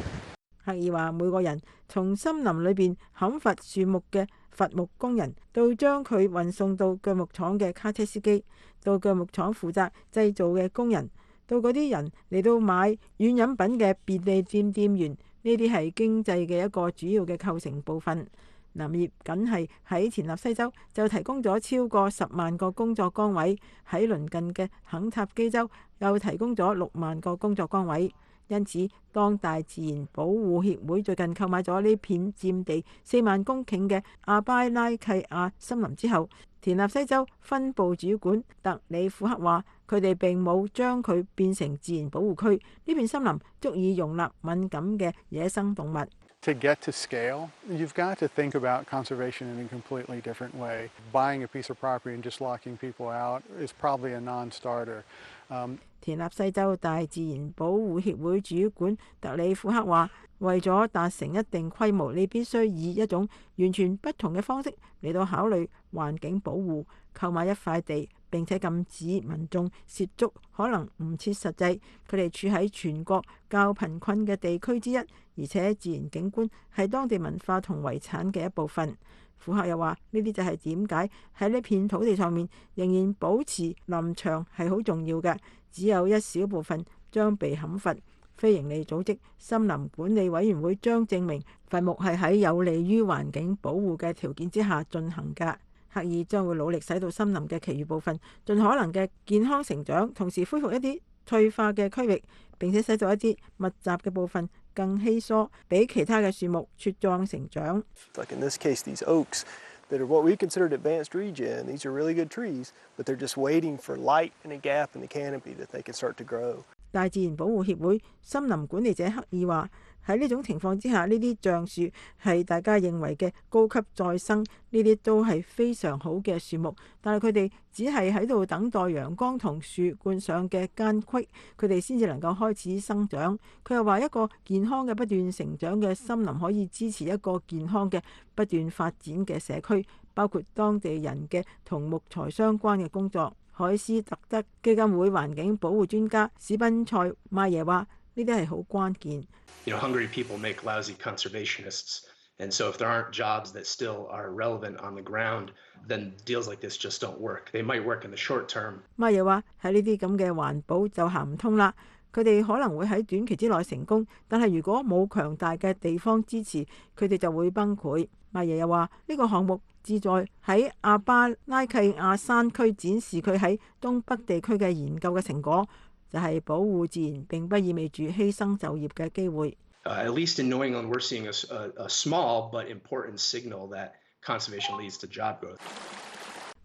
克爾話每個人從森林裏邊砍伐樹木嘅伐木工人，到將佢運送到鋸木廠嘅卡車司機，到鋸木廠負責製造嘅工人，到嗰啲人嚟到買軟飲品嘅便利店店員，呢啲係經濟嘅一個主要嘅構成部分。林業僅係喺田納西州就提供咗超過十萬個工作崗位，喺鄰近嘅肯塔基州又提供咗六萬個工作崗位。因此，當大自然保護協會最近購買咗呢片佔地四萬公頃嘅阿巴拉契亞森林之後，田納西州分部主管特里庫克話：佢哋並冇將佢變成自然保護區，呢片森林足以容納敏感嘅野生動物。To get to scale, you've got to think about conservation in a completely different way. Buying a piece of property and just locking people out is probably a non-starter. Um, 田納西州大自然保護協會主管特里庫克話：為咗達成一定規模，你必須以一種完全不同嘅方式嚟到考慮環境保護。購買一塊地並且禁止民眾涉足，可能唔切實際。佢哋處喺全國較貧困嘅地區之一，而且自然景觀係當地文化同遺產嘅一部分。庫克又話：呢啲就係點解喺呢片土地上面仍然保持林場係好重要嘅，只有一小部分將被砍伐。非營利組織森林管理委員會將證明伐木係喺有利於環境保護嘅條件之下進行㗎。克爾將會努力使到森林嘅其餘部分盡可能嘅健康成長，同時恢復一啲退化嘅區域，並且使到一啲密集嘅部分更稀疏，俾其他嘅樹木茁壯成長。Like in this case, these oaks that are what we considered advanced regen, these are really good trees, but they're just waiting for light and a gap in the canopy that they can start to grow. 大自然保護協會森林管理者克爾話：喺呢種情況之下，呢啲橡樹係大家認為嘅高級再生，呢啲都係非常好嘅樹木，但係佢哋只係喺度等待陽光同樹冠上嘅間隙，佢哋先至能夠開始生長。佢又話：一個健康嘅不斷成長嘅森林可以支持一個健康嘅不斷發展嘅社區，包括當地人嘅同木材相關嘅工作。海斯特德基金會環境保護專家史賓塞麥耶話：呢啲係好關鍵。You know, hungry people make lousy conservationists, and so if there aren't jobs that still are relevant on the ground, then deals like this just don't work. They might work in the short term. 麥耶話：喺呢啲咁嘅環保就行唔通啦。佢哋可能會喺短期之內成功，但係如果冇強大嘅地方支持，佢哋就會崩潰。麥耶又話：呢個項目旨在喺阿巴拉契亞山區展示佢喺東北地區嘅研究嘅成果，就係保護自然並不意味住犧牲就業嘅機會。Uh, at least in New England, we're seeing a, a, a small but important signal that conservation leads to job growth.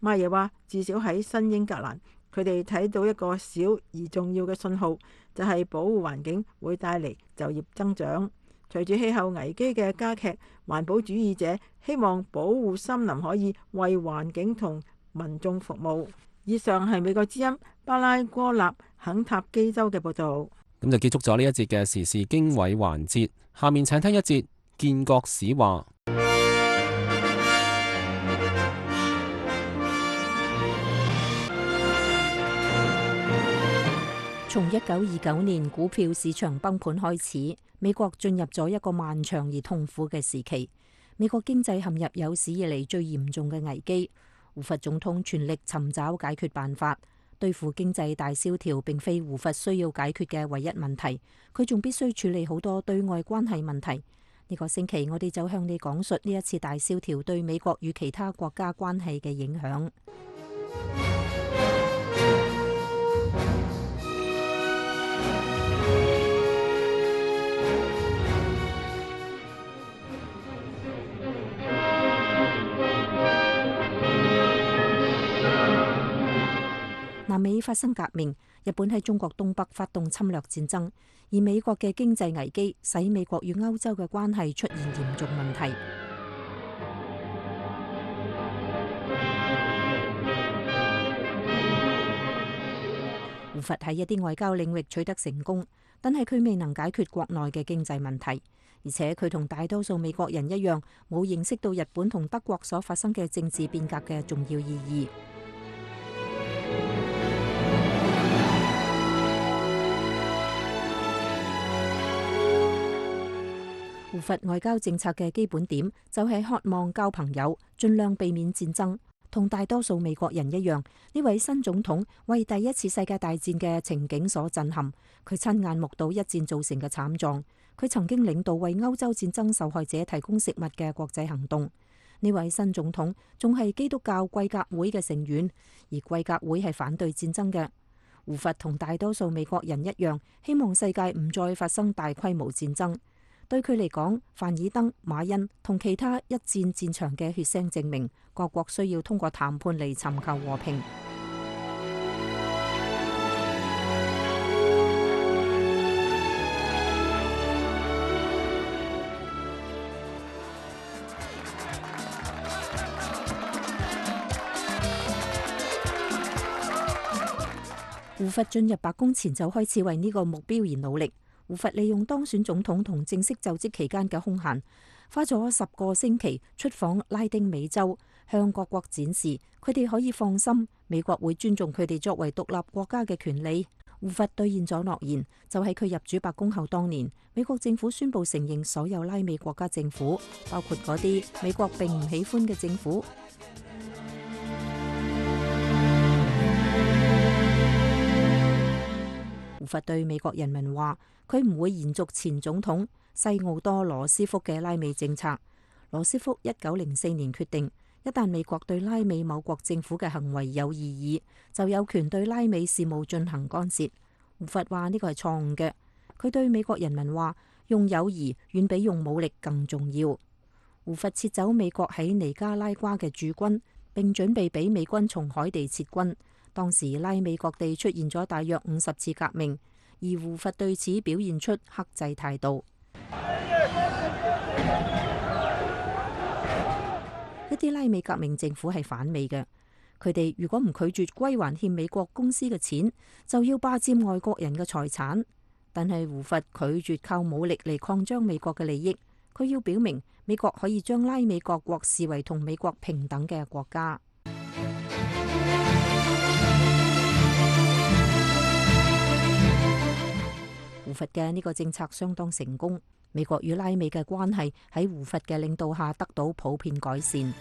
麥耶話：至少喺新英格蘭，佢哋睇到一個小而重要嘅信號，就係保護環境會帶嚟就業增長。隨住氣候危機嘅加劇，環保主義者希望保護森林可以為環境同民眾服務。以上係美國之音巴拉哥納肯塔基州嘅報導。咁就結束咗呢一節嘅時事經緯環節，下面請聽一節建國史話。從一九二九年股票市場崩盤開始，美國進入咗一個漫長而痛苦嘅時期。美國經濟陷入有史以嚟最嚴重嘅危機。胡佛總統全力尋找解決辦法，對付經濟大蕭條並非胡佛需要解決嘅唯一問題，佢仲必須處理好多對外關係問題。呢個星期我哋就向你講述呢一次大蕭條對美國與其他國家關係嘅影響。南美發生革命，日本喺中國東北發動侵略戰爭，而美國嘅經濟危機使美國與歐洲嘅關係出現嚴重問題。胡佛喺一啲外交領域取得成功，但係佢未能解決國內嘅經濟問題，而且佢同大多數美國人一樣，冇認識到日本同德國所發生嘅政治變革嘅重要意義。胡佛外交政策嘅基本點就係渴望交朋友，盡量避免戰爭。同大多數美國人一樣，呢位新總統為第一次世界大戰嘅情景所震撼。佢親眼目睹一戰造成嘅慘狀。佢曾經領導為歐洲戰爭受害者提供食物嘅國際行動。呢位新總統仲係基督教貴格會嘅成員，而貴格會係反對戰爭嘅。胡佛同大多數美國人一樣，希望世界唔再發生大規模戰爭。對佢嚟講，凡爾登、馬恩同其他一戰戰場嘅血腥證明，各國需要通過談判嚟尋求和平。胡佛進入白宮前就開始為呢個目標而努力。胡佛利用當選總統同正式就職期間嘅空閒，花咗十個星期出訪拉丁美洲，向各國展示佢哋可以放心，美國會尊重佢哋作為獨立國家嘅權利。胡佛兌現咗諾言，就喺佢入主白宮後當年，美國政府宣布承認所有拉美國家政府，包括嗰啲美國並唔喜歡嘅政府。胡佛對美國人民話，佢唔會延續前總統西奧多羅斯福嘅拉美政策。羅斯福一九零四年決定，一旦美國對拉美某國政府嘅行為有異議，就有權對拉美事務進行干涉。胡佛話呢個係錯誤嘅。佢對美國人民話，用友誼遠比用武力更重要。胡佛撤走美國喺尼加拉瓜嘅駐軍，並準備俾美軍從海地撤軍。當時拉美各地出現咗大約五十次革命，而胡佛對此表現出克制態度。一啲拉美革命政府係反美嘅，佢哋如果唔拒絕歸還欠美國公司嘅錢，就要霸佔外國人嘅財產。但係胡佛拒絕靠武力嚟擴張美國嘅利益，佢要表明美國可以將拉美各國視為同美國平等嘅國家。胡佛嘅呢個政策相當成功，美國與拉美嘅關係喺胡佛嘅領導下得到普遍改善。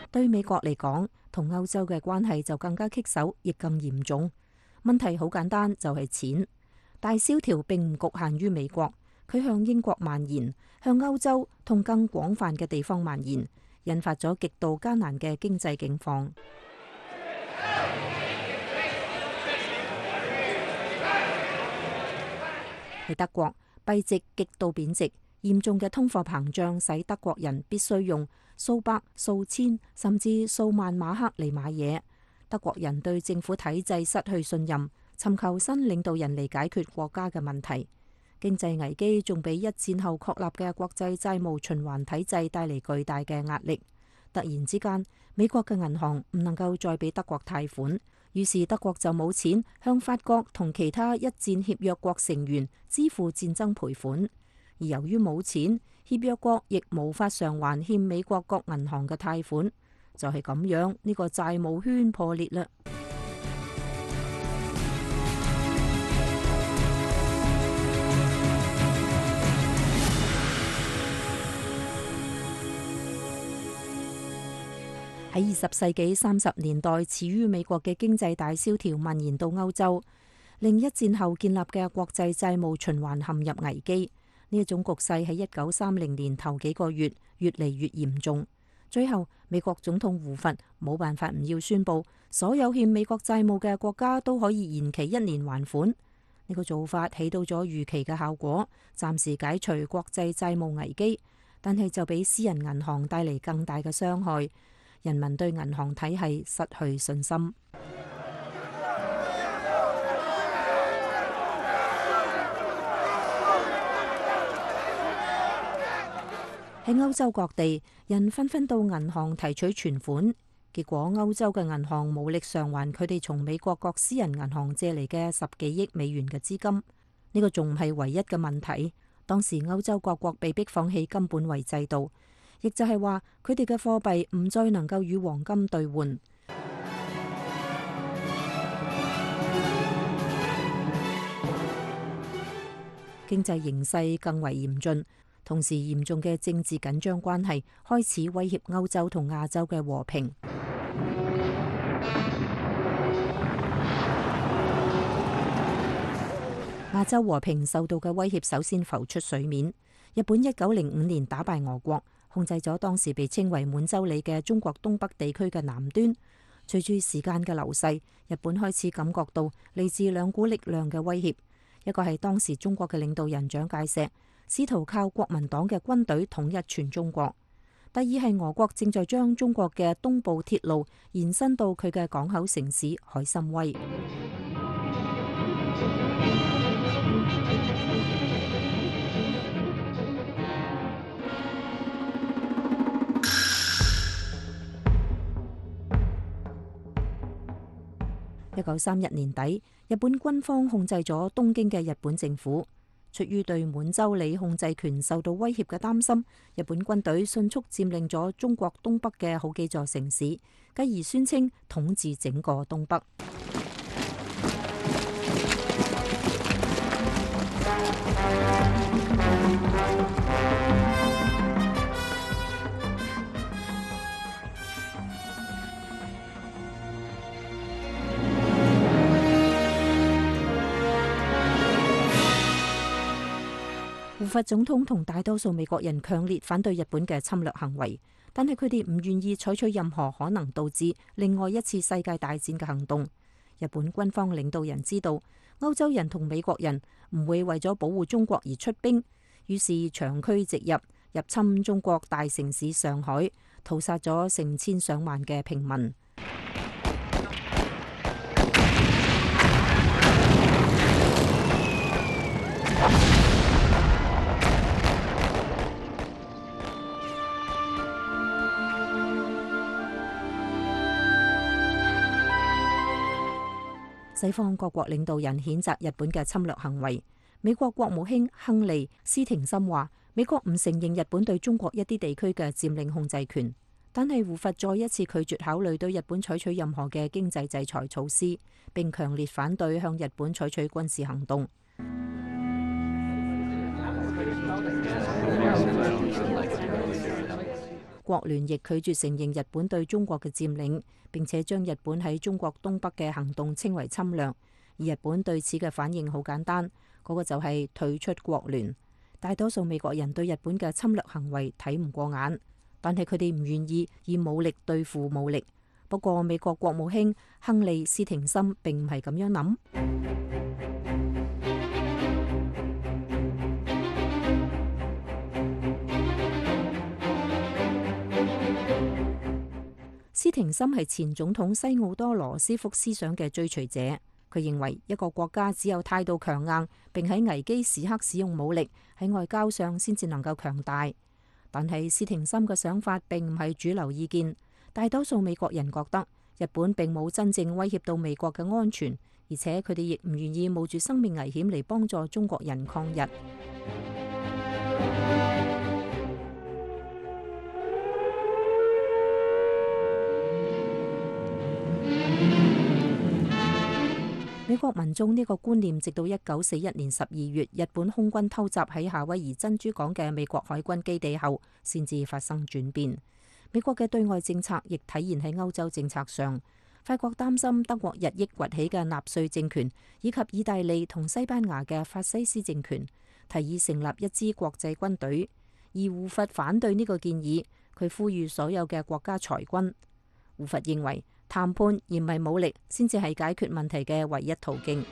對美國嚟講，同歐洲嘅關係就更加棘手，亦更嚴重。問題好簡單，就係錢。大蕭條並唔局限於美國，佢向英國蔓延，向歐洲同更廣泛嘅地方蔓延，引發咗極度艱難嘅經濟境況。喺德國，幣值極度貶值，嚴重嘅通貨膨脹使德國人必須用數百、數千甚至數萬馬克嚟買嘢。德國人對政府體制失去信任，尋求新領導人嚟解決國家嘅問題。經濟危機仲俾一戰後確立嘅國際債務循環體制帶嚟巨大嘅壓力。突然之間，美國嘅銀行唔能夠再俾德國貸款，於是德國就冇錢向法國同其他一戰協約國成員支付戰爭賠款。而由於冇錢，協約國亦無法償還欠美國各銀行嘅貸款，就係咁樣，呢個債務圈破裂啦。喺二十世紀三十年代，始於美國嘅經濟大蕭條蔓延到歐洲，令一戰後建立嘅國際債務循環陷入危機。呢一種局勢喺一九三零年頭幾個月越嚟越嚴重。最後，美國總統胡佛冇辦法唔要宣布，所有欠美國債務嘅國家都可以延期一年還款。呢個做法起到咗預期嘅效果，暫時解除國際債務危機，但係就俾私人銀行帶嚟更大嘅傷害。人民對銀行體系失去信心。喺歐洲各地，人紛紛到銀行提取存款，結果歐洲嘅銀行無力償還佢哋從美國各私人銀行借嚟嘅十幾億美元嘅資金。呢個仲唔係唯一嘅問題。當時歐洲各國被迫放棄金本位制度，亦就係話佢哋嘅貨幣唔再能夠與黃金兌換。經濟形勢更為嚴峻，同時嚴重嘅政治緊張關係開始威脅歐洲同亞洲嘅和平。亞洲和平受到嘅威脅首先浮出水面。日本一九零五年打敗俄國，控制咗當時被稱為滿洲里嘅中國東北地區嘅南端。隨住時間嘅流逝，日本開始感覺到嚟自兩股力量嘅威脅。一個係當時中國嘅領導人蔣介石，試圖靠國民黨嘅軍隊統一全中國。第二係俄國正在將中國嘅東部鐵路延伸到佢嘅港口城市海參崴。一九三一年底，日本軍方控制咗東京嘅日本政府。出於對滿洲里控制權受到威脅嘅擔心，日本軍隊迅速佔領咗中國東北嘅好幾座城市，繼而宣稱統治整個東北。胡佛總統同大多數美國人強烈反對日本嘅侵略行為，但係佢哋唔願意採取任何可能導致另外一次世界大戰嘅行動。日本軍方領導人知道歐洲人同美國人唔會為咗保護中國而出兵，於是長驅直入，入侵中國大城市上海，屠殺咗成千上萬嘅平民。西方各國領導人譴責日本嘅侵略行為。美國國務卿亨利·斯廷森話：美國唔承認日本對中國一啲地區嘅佔領控制權，但係胡佛再一次拒絕考慮對日本採取任何嘅經濟制裁措施，並強烈反對向日本採取軍事行動。國聯亦拒絕承認日本對中國嘅佔領，並且將日本喺中國東北嘅行動稱為侵略。而日本對此嘅反應好簡單，嗰個就係退出國聯。大多數美國人對日本嘅侵略行為睇唔過眼，但係佢哋唔願意以武力對付武力。不過美國國務卿亨利·斯廷森並唔係咁樣諗。斯廷森係前總統西奧多·羅斯福思想嘅追隨者，佢認為一個國家只有態度強硬，並喺危機時刻使用武力，喺外交上先至能夠強大。但係斯廷森嘅想法並唔係主流意見，大多數美國人覺得日本並冇真正威脅到美國嘅安全，而且佢哋亦唔願意冒住生命危險嚟幫助中國人抗日。美國民眾呢個觀念直到一九四一年十二月日本空軍偷襲喺夏威夷珍珠港嘅美國海軍基地後，先至發生轉變。美國嘅對外政策亦體現喺歐洲政策上。法國擔心德國日益崛起嘅納粹政權，以及意大利同西班牙嘅法西斯政權，提議成立一支國際軍隊。而胡佛反對呢個建議，佢呼籲所有嘅國家裁軍。胡佛認為談判而唔係武力，先至係解決問題嘅唯一途徑。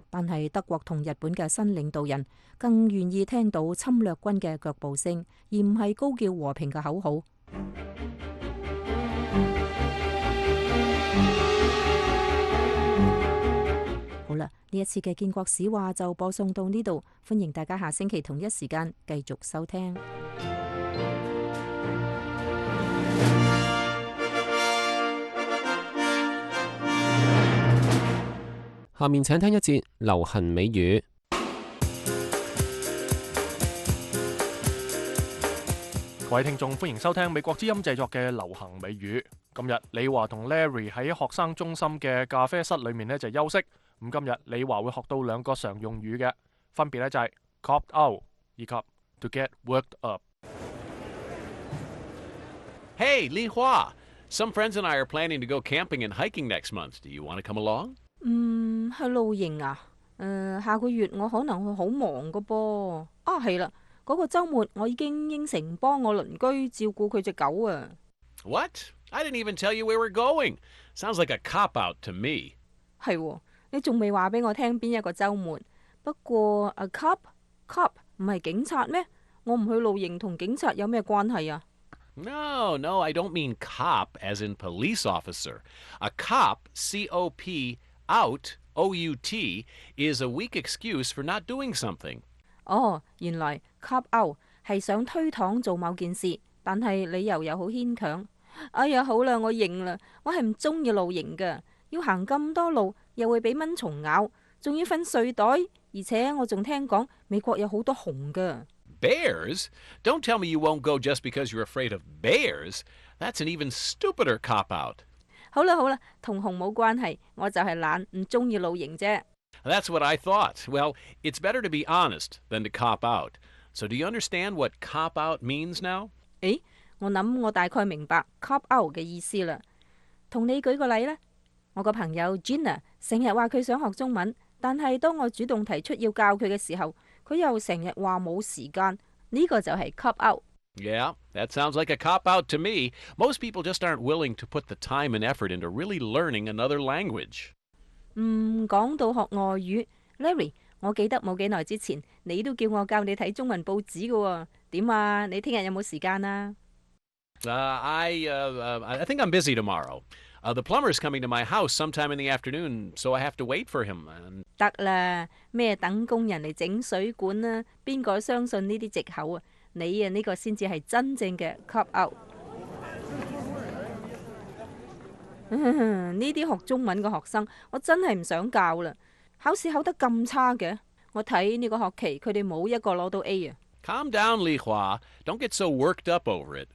但係德國同日本嘅新領導人更願意聽到侵略軍嘅腳步聲，而唔係高叫和平嘅口號。好啦，呢一次嘅建國史話就播送到呢度，歡迎大家下星期同一時間繼續收聽。下面請聽一節流行美語。各位聽眾，歡迎收聽美國之音製作嘅流行美語。今日李華同 Larry 喺學生中心嘅咖啡室裏面呢就休息。咁今日李華會學到兩個常用語嘅，分別呢就係 copped out 以及 to get worked up。Hey, Li Hua! Some friends and I are planning to go camping and hiking next month. Do you want to come along? 嗯，去露營啊？誒、呃，下個月我可能會好忙噶噃。啊，係啦。嗰個週末我已經應承幫我鄰居照顧佢隻狗啊。What? I didn't even tell you we were going. Sounds like a cop-out to me. 係喎，你仲未話俾我聽邊一個週末？不過 a cop cop 唔係警察咩？我唔去露營同警察有咩關係啊？ No, no, I don't mean cop as in police officer. A cop, C O P, out, O U T, is a weak excuse for not doing something. 哦，原來 cop out 係想推搪做某件事，但係理由又好牽強。哎呀，好啦，我認啦，我係唔中意露營噶，要行咁多路，又會俾蚊蟲咬，仲要瞓睡袋，而且我仲聽講美國有好多熊噶。Bears? Don't tell me you won't go just because you're afraid of bears. That's an even stupider cop out. 好啦好啦，同熊冇關係，我就係懶，唔中意露營啫。That's what I thought. Well, it's better to be honest than to cop out. So do you understand what cop out means now? 誒，我諗我大概明白 cop out 嘅意思啦。同你舉個例啦，我個朋友 Gina 成日話佢想學中文，但係當我主動提出要教佢嘅時候，佢又成日話冇時間。呢個就係 cop out。Yeah, that sounds like a cop out to me. Most people just aren't willing to put the time and effort into really learning another language. 嗯，講到學外語 ，Larry， 我記得冇幾耐之前，你都叫我教你睇中文報紙㗎喎。點啊？你聽日有冇時間啊？ Uh, I, uh, uh, I think I'm busy tomorrow. Uh, the plumber's coming to my house sometime in the afternoon, so I have to wait for him. And... 得啦，咩等工人嚟整水管啊？邊個相信呢啲藉口啊？你啊呢個先至係真正嘅 cop out。呢啲學中文嘅學生，我真係唔想教啦。考試考得咁差嘅，我睇呢個學期佢哋冇一個攞到 A 啊。Calm down, Li Hua. Don't get so worked up over it.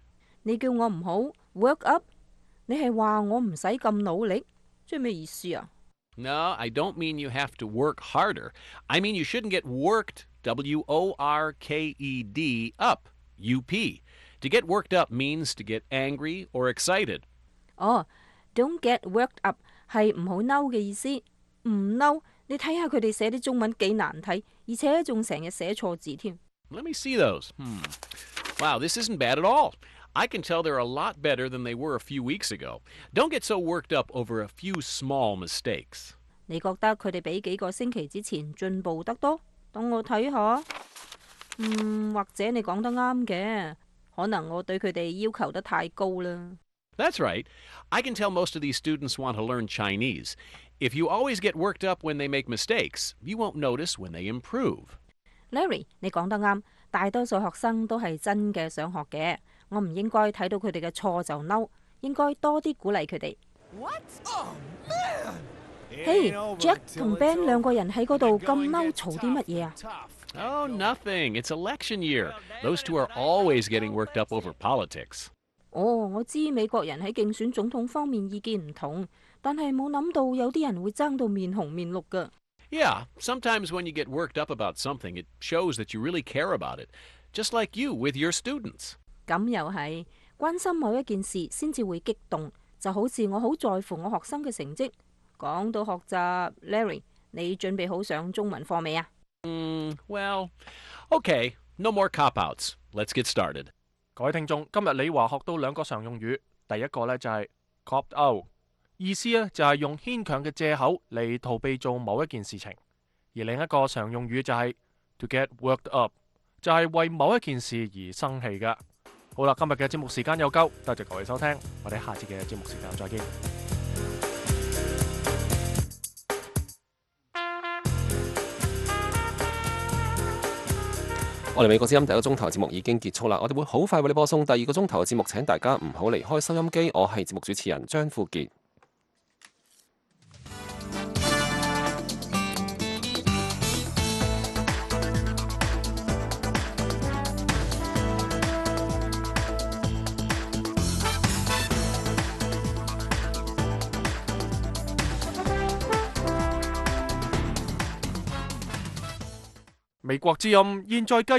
你叫我唔好 work up， 你係話我唔使咁努力，即係咩意思啊？ No, I don't mean you have to work harder. I mean you shouldn't get worked, W O R K E D, up, U P. To get worked up means to get angry or excited. 哦。Don't get worked up 係唔好嬲嘅意思，唔嬲，你睇下佢哋寫啲中文幾難睇，而且仲成日寫錯字添。Let me see those. Hmm. Wow, this isn't bad at all. I can tell they're a lot better than they were a few weeks ago. Don't get so worked up over a few small mistakes. 你覺得佢哋比幾個星期之前進步得多？等我睇下。嗯，或者你講得啱嘅，可能我對佢哋要求得太高啦。That's right. I can tell most of these students want to learn Chinese. If you always get worked up when they make mistakes, you won't notice when they improve. Larry， 你講得啱，大多數學生都係真嘅想學嘅。我唔應該睇到佢哋嘅錯就嬲，應該多啲鼓勵佢哋。嘿 ，Jack 同 Ben 兩個人喺嗰度咁嬲，嘈啲乜嘢啊？ Oh, nothing. It's election year. Those two are always getting worked up over politics. 哦，我知美國人喺競選總統方面意見唔同，但係冇諗到有啲人會爭到面紅面綠㗎。Yeah, sometimes when you get worked up about something, it shows that you really care about it, just like you with your students. 咁又係，關心某一件事先至會激動，就好似我好在乎我學生嘅成績。講到學習 ，Larry， 你準備好上中文課未啊？嗯 ，Well, okay, no more cop-outs. Let's get started. 各位聽眾，今日李華學到兩個常用語，第一個呢就係 copped out， 意思呢就係用牽強嘅藉口嚟逃避做某一件事情；而另一個常用語就係 to get worked up， 就係為某一件事而生氣嘅。好啦，今日嘅節目時間又夠，多謝各位收聽，我哋下次嘅節目時間再見。我哋美國之音第一個鐘頭節目已經結束啦，我哋會好快為你播送第二個鐘頭嘅節目，請大家唔好離開收音機。我係節目主持人張富傑。美國之音現在繼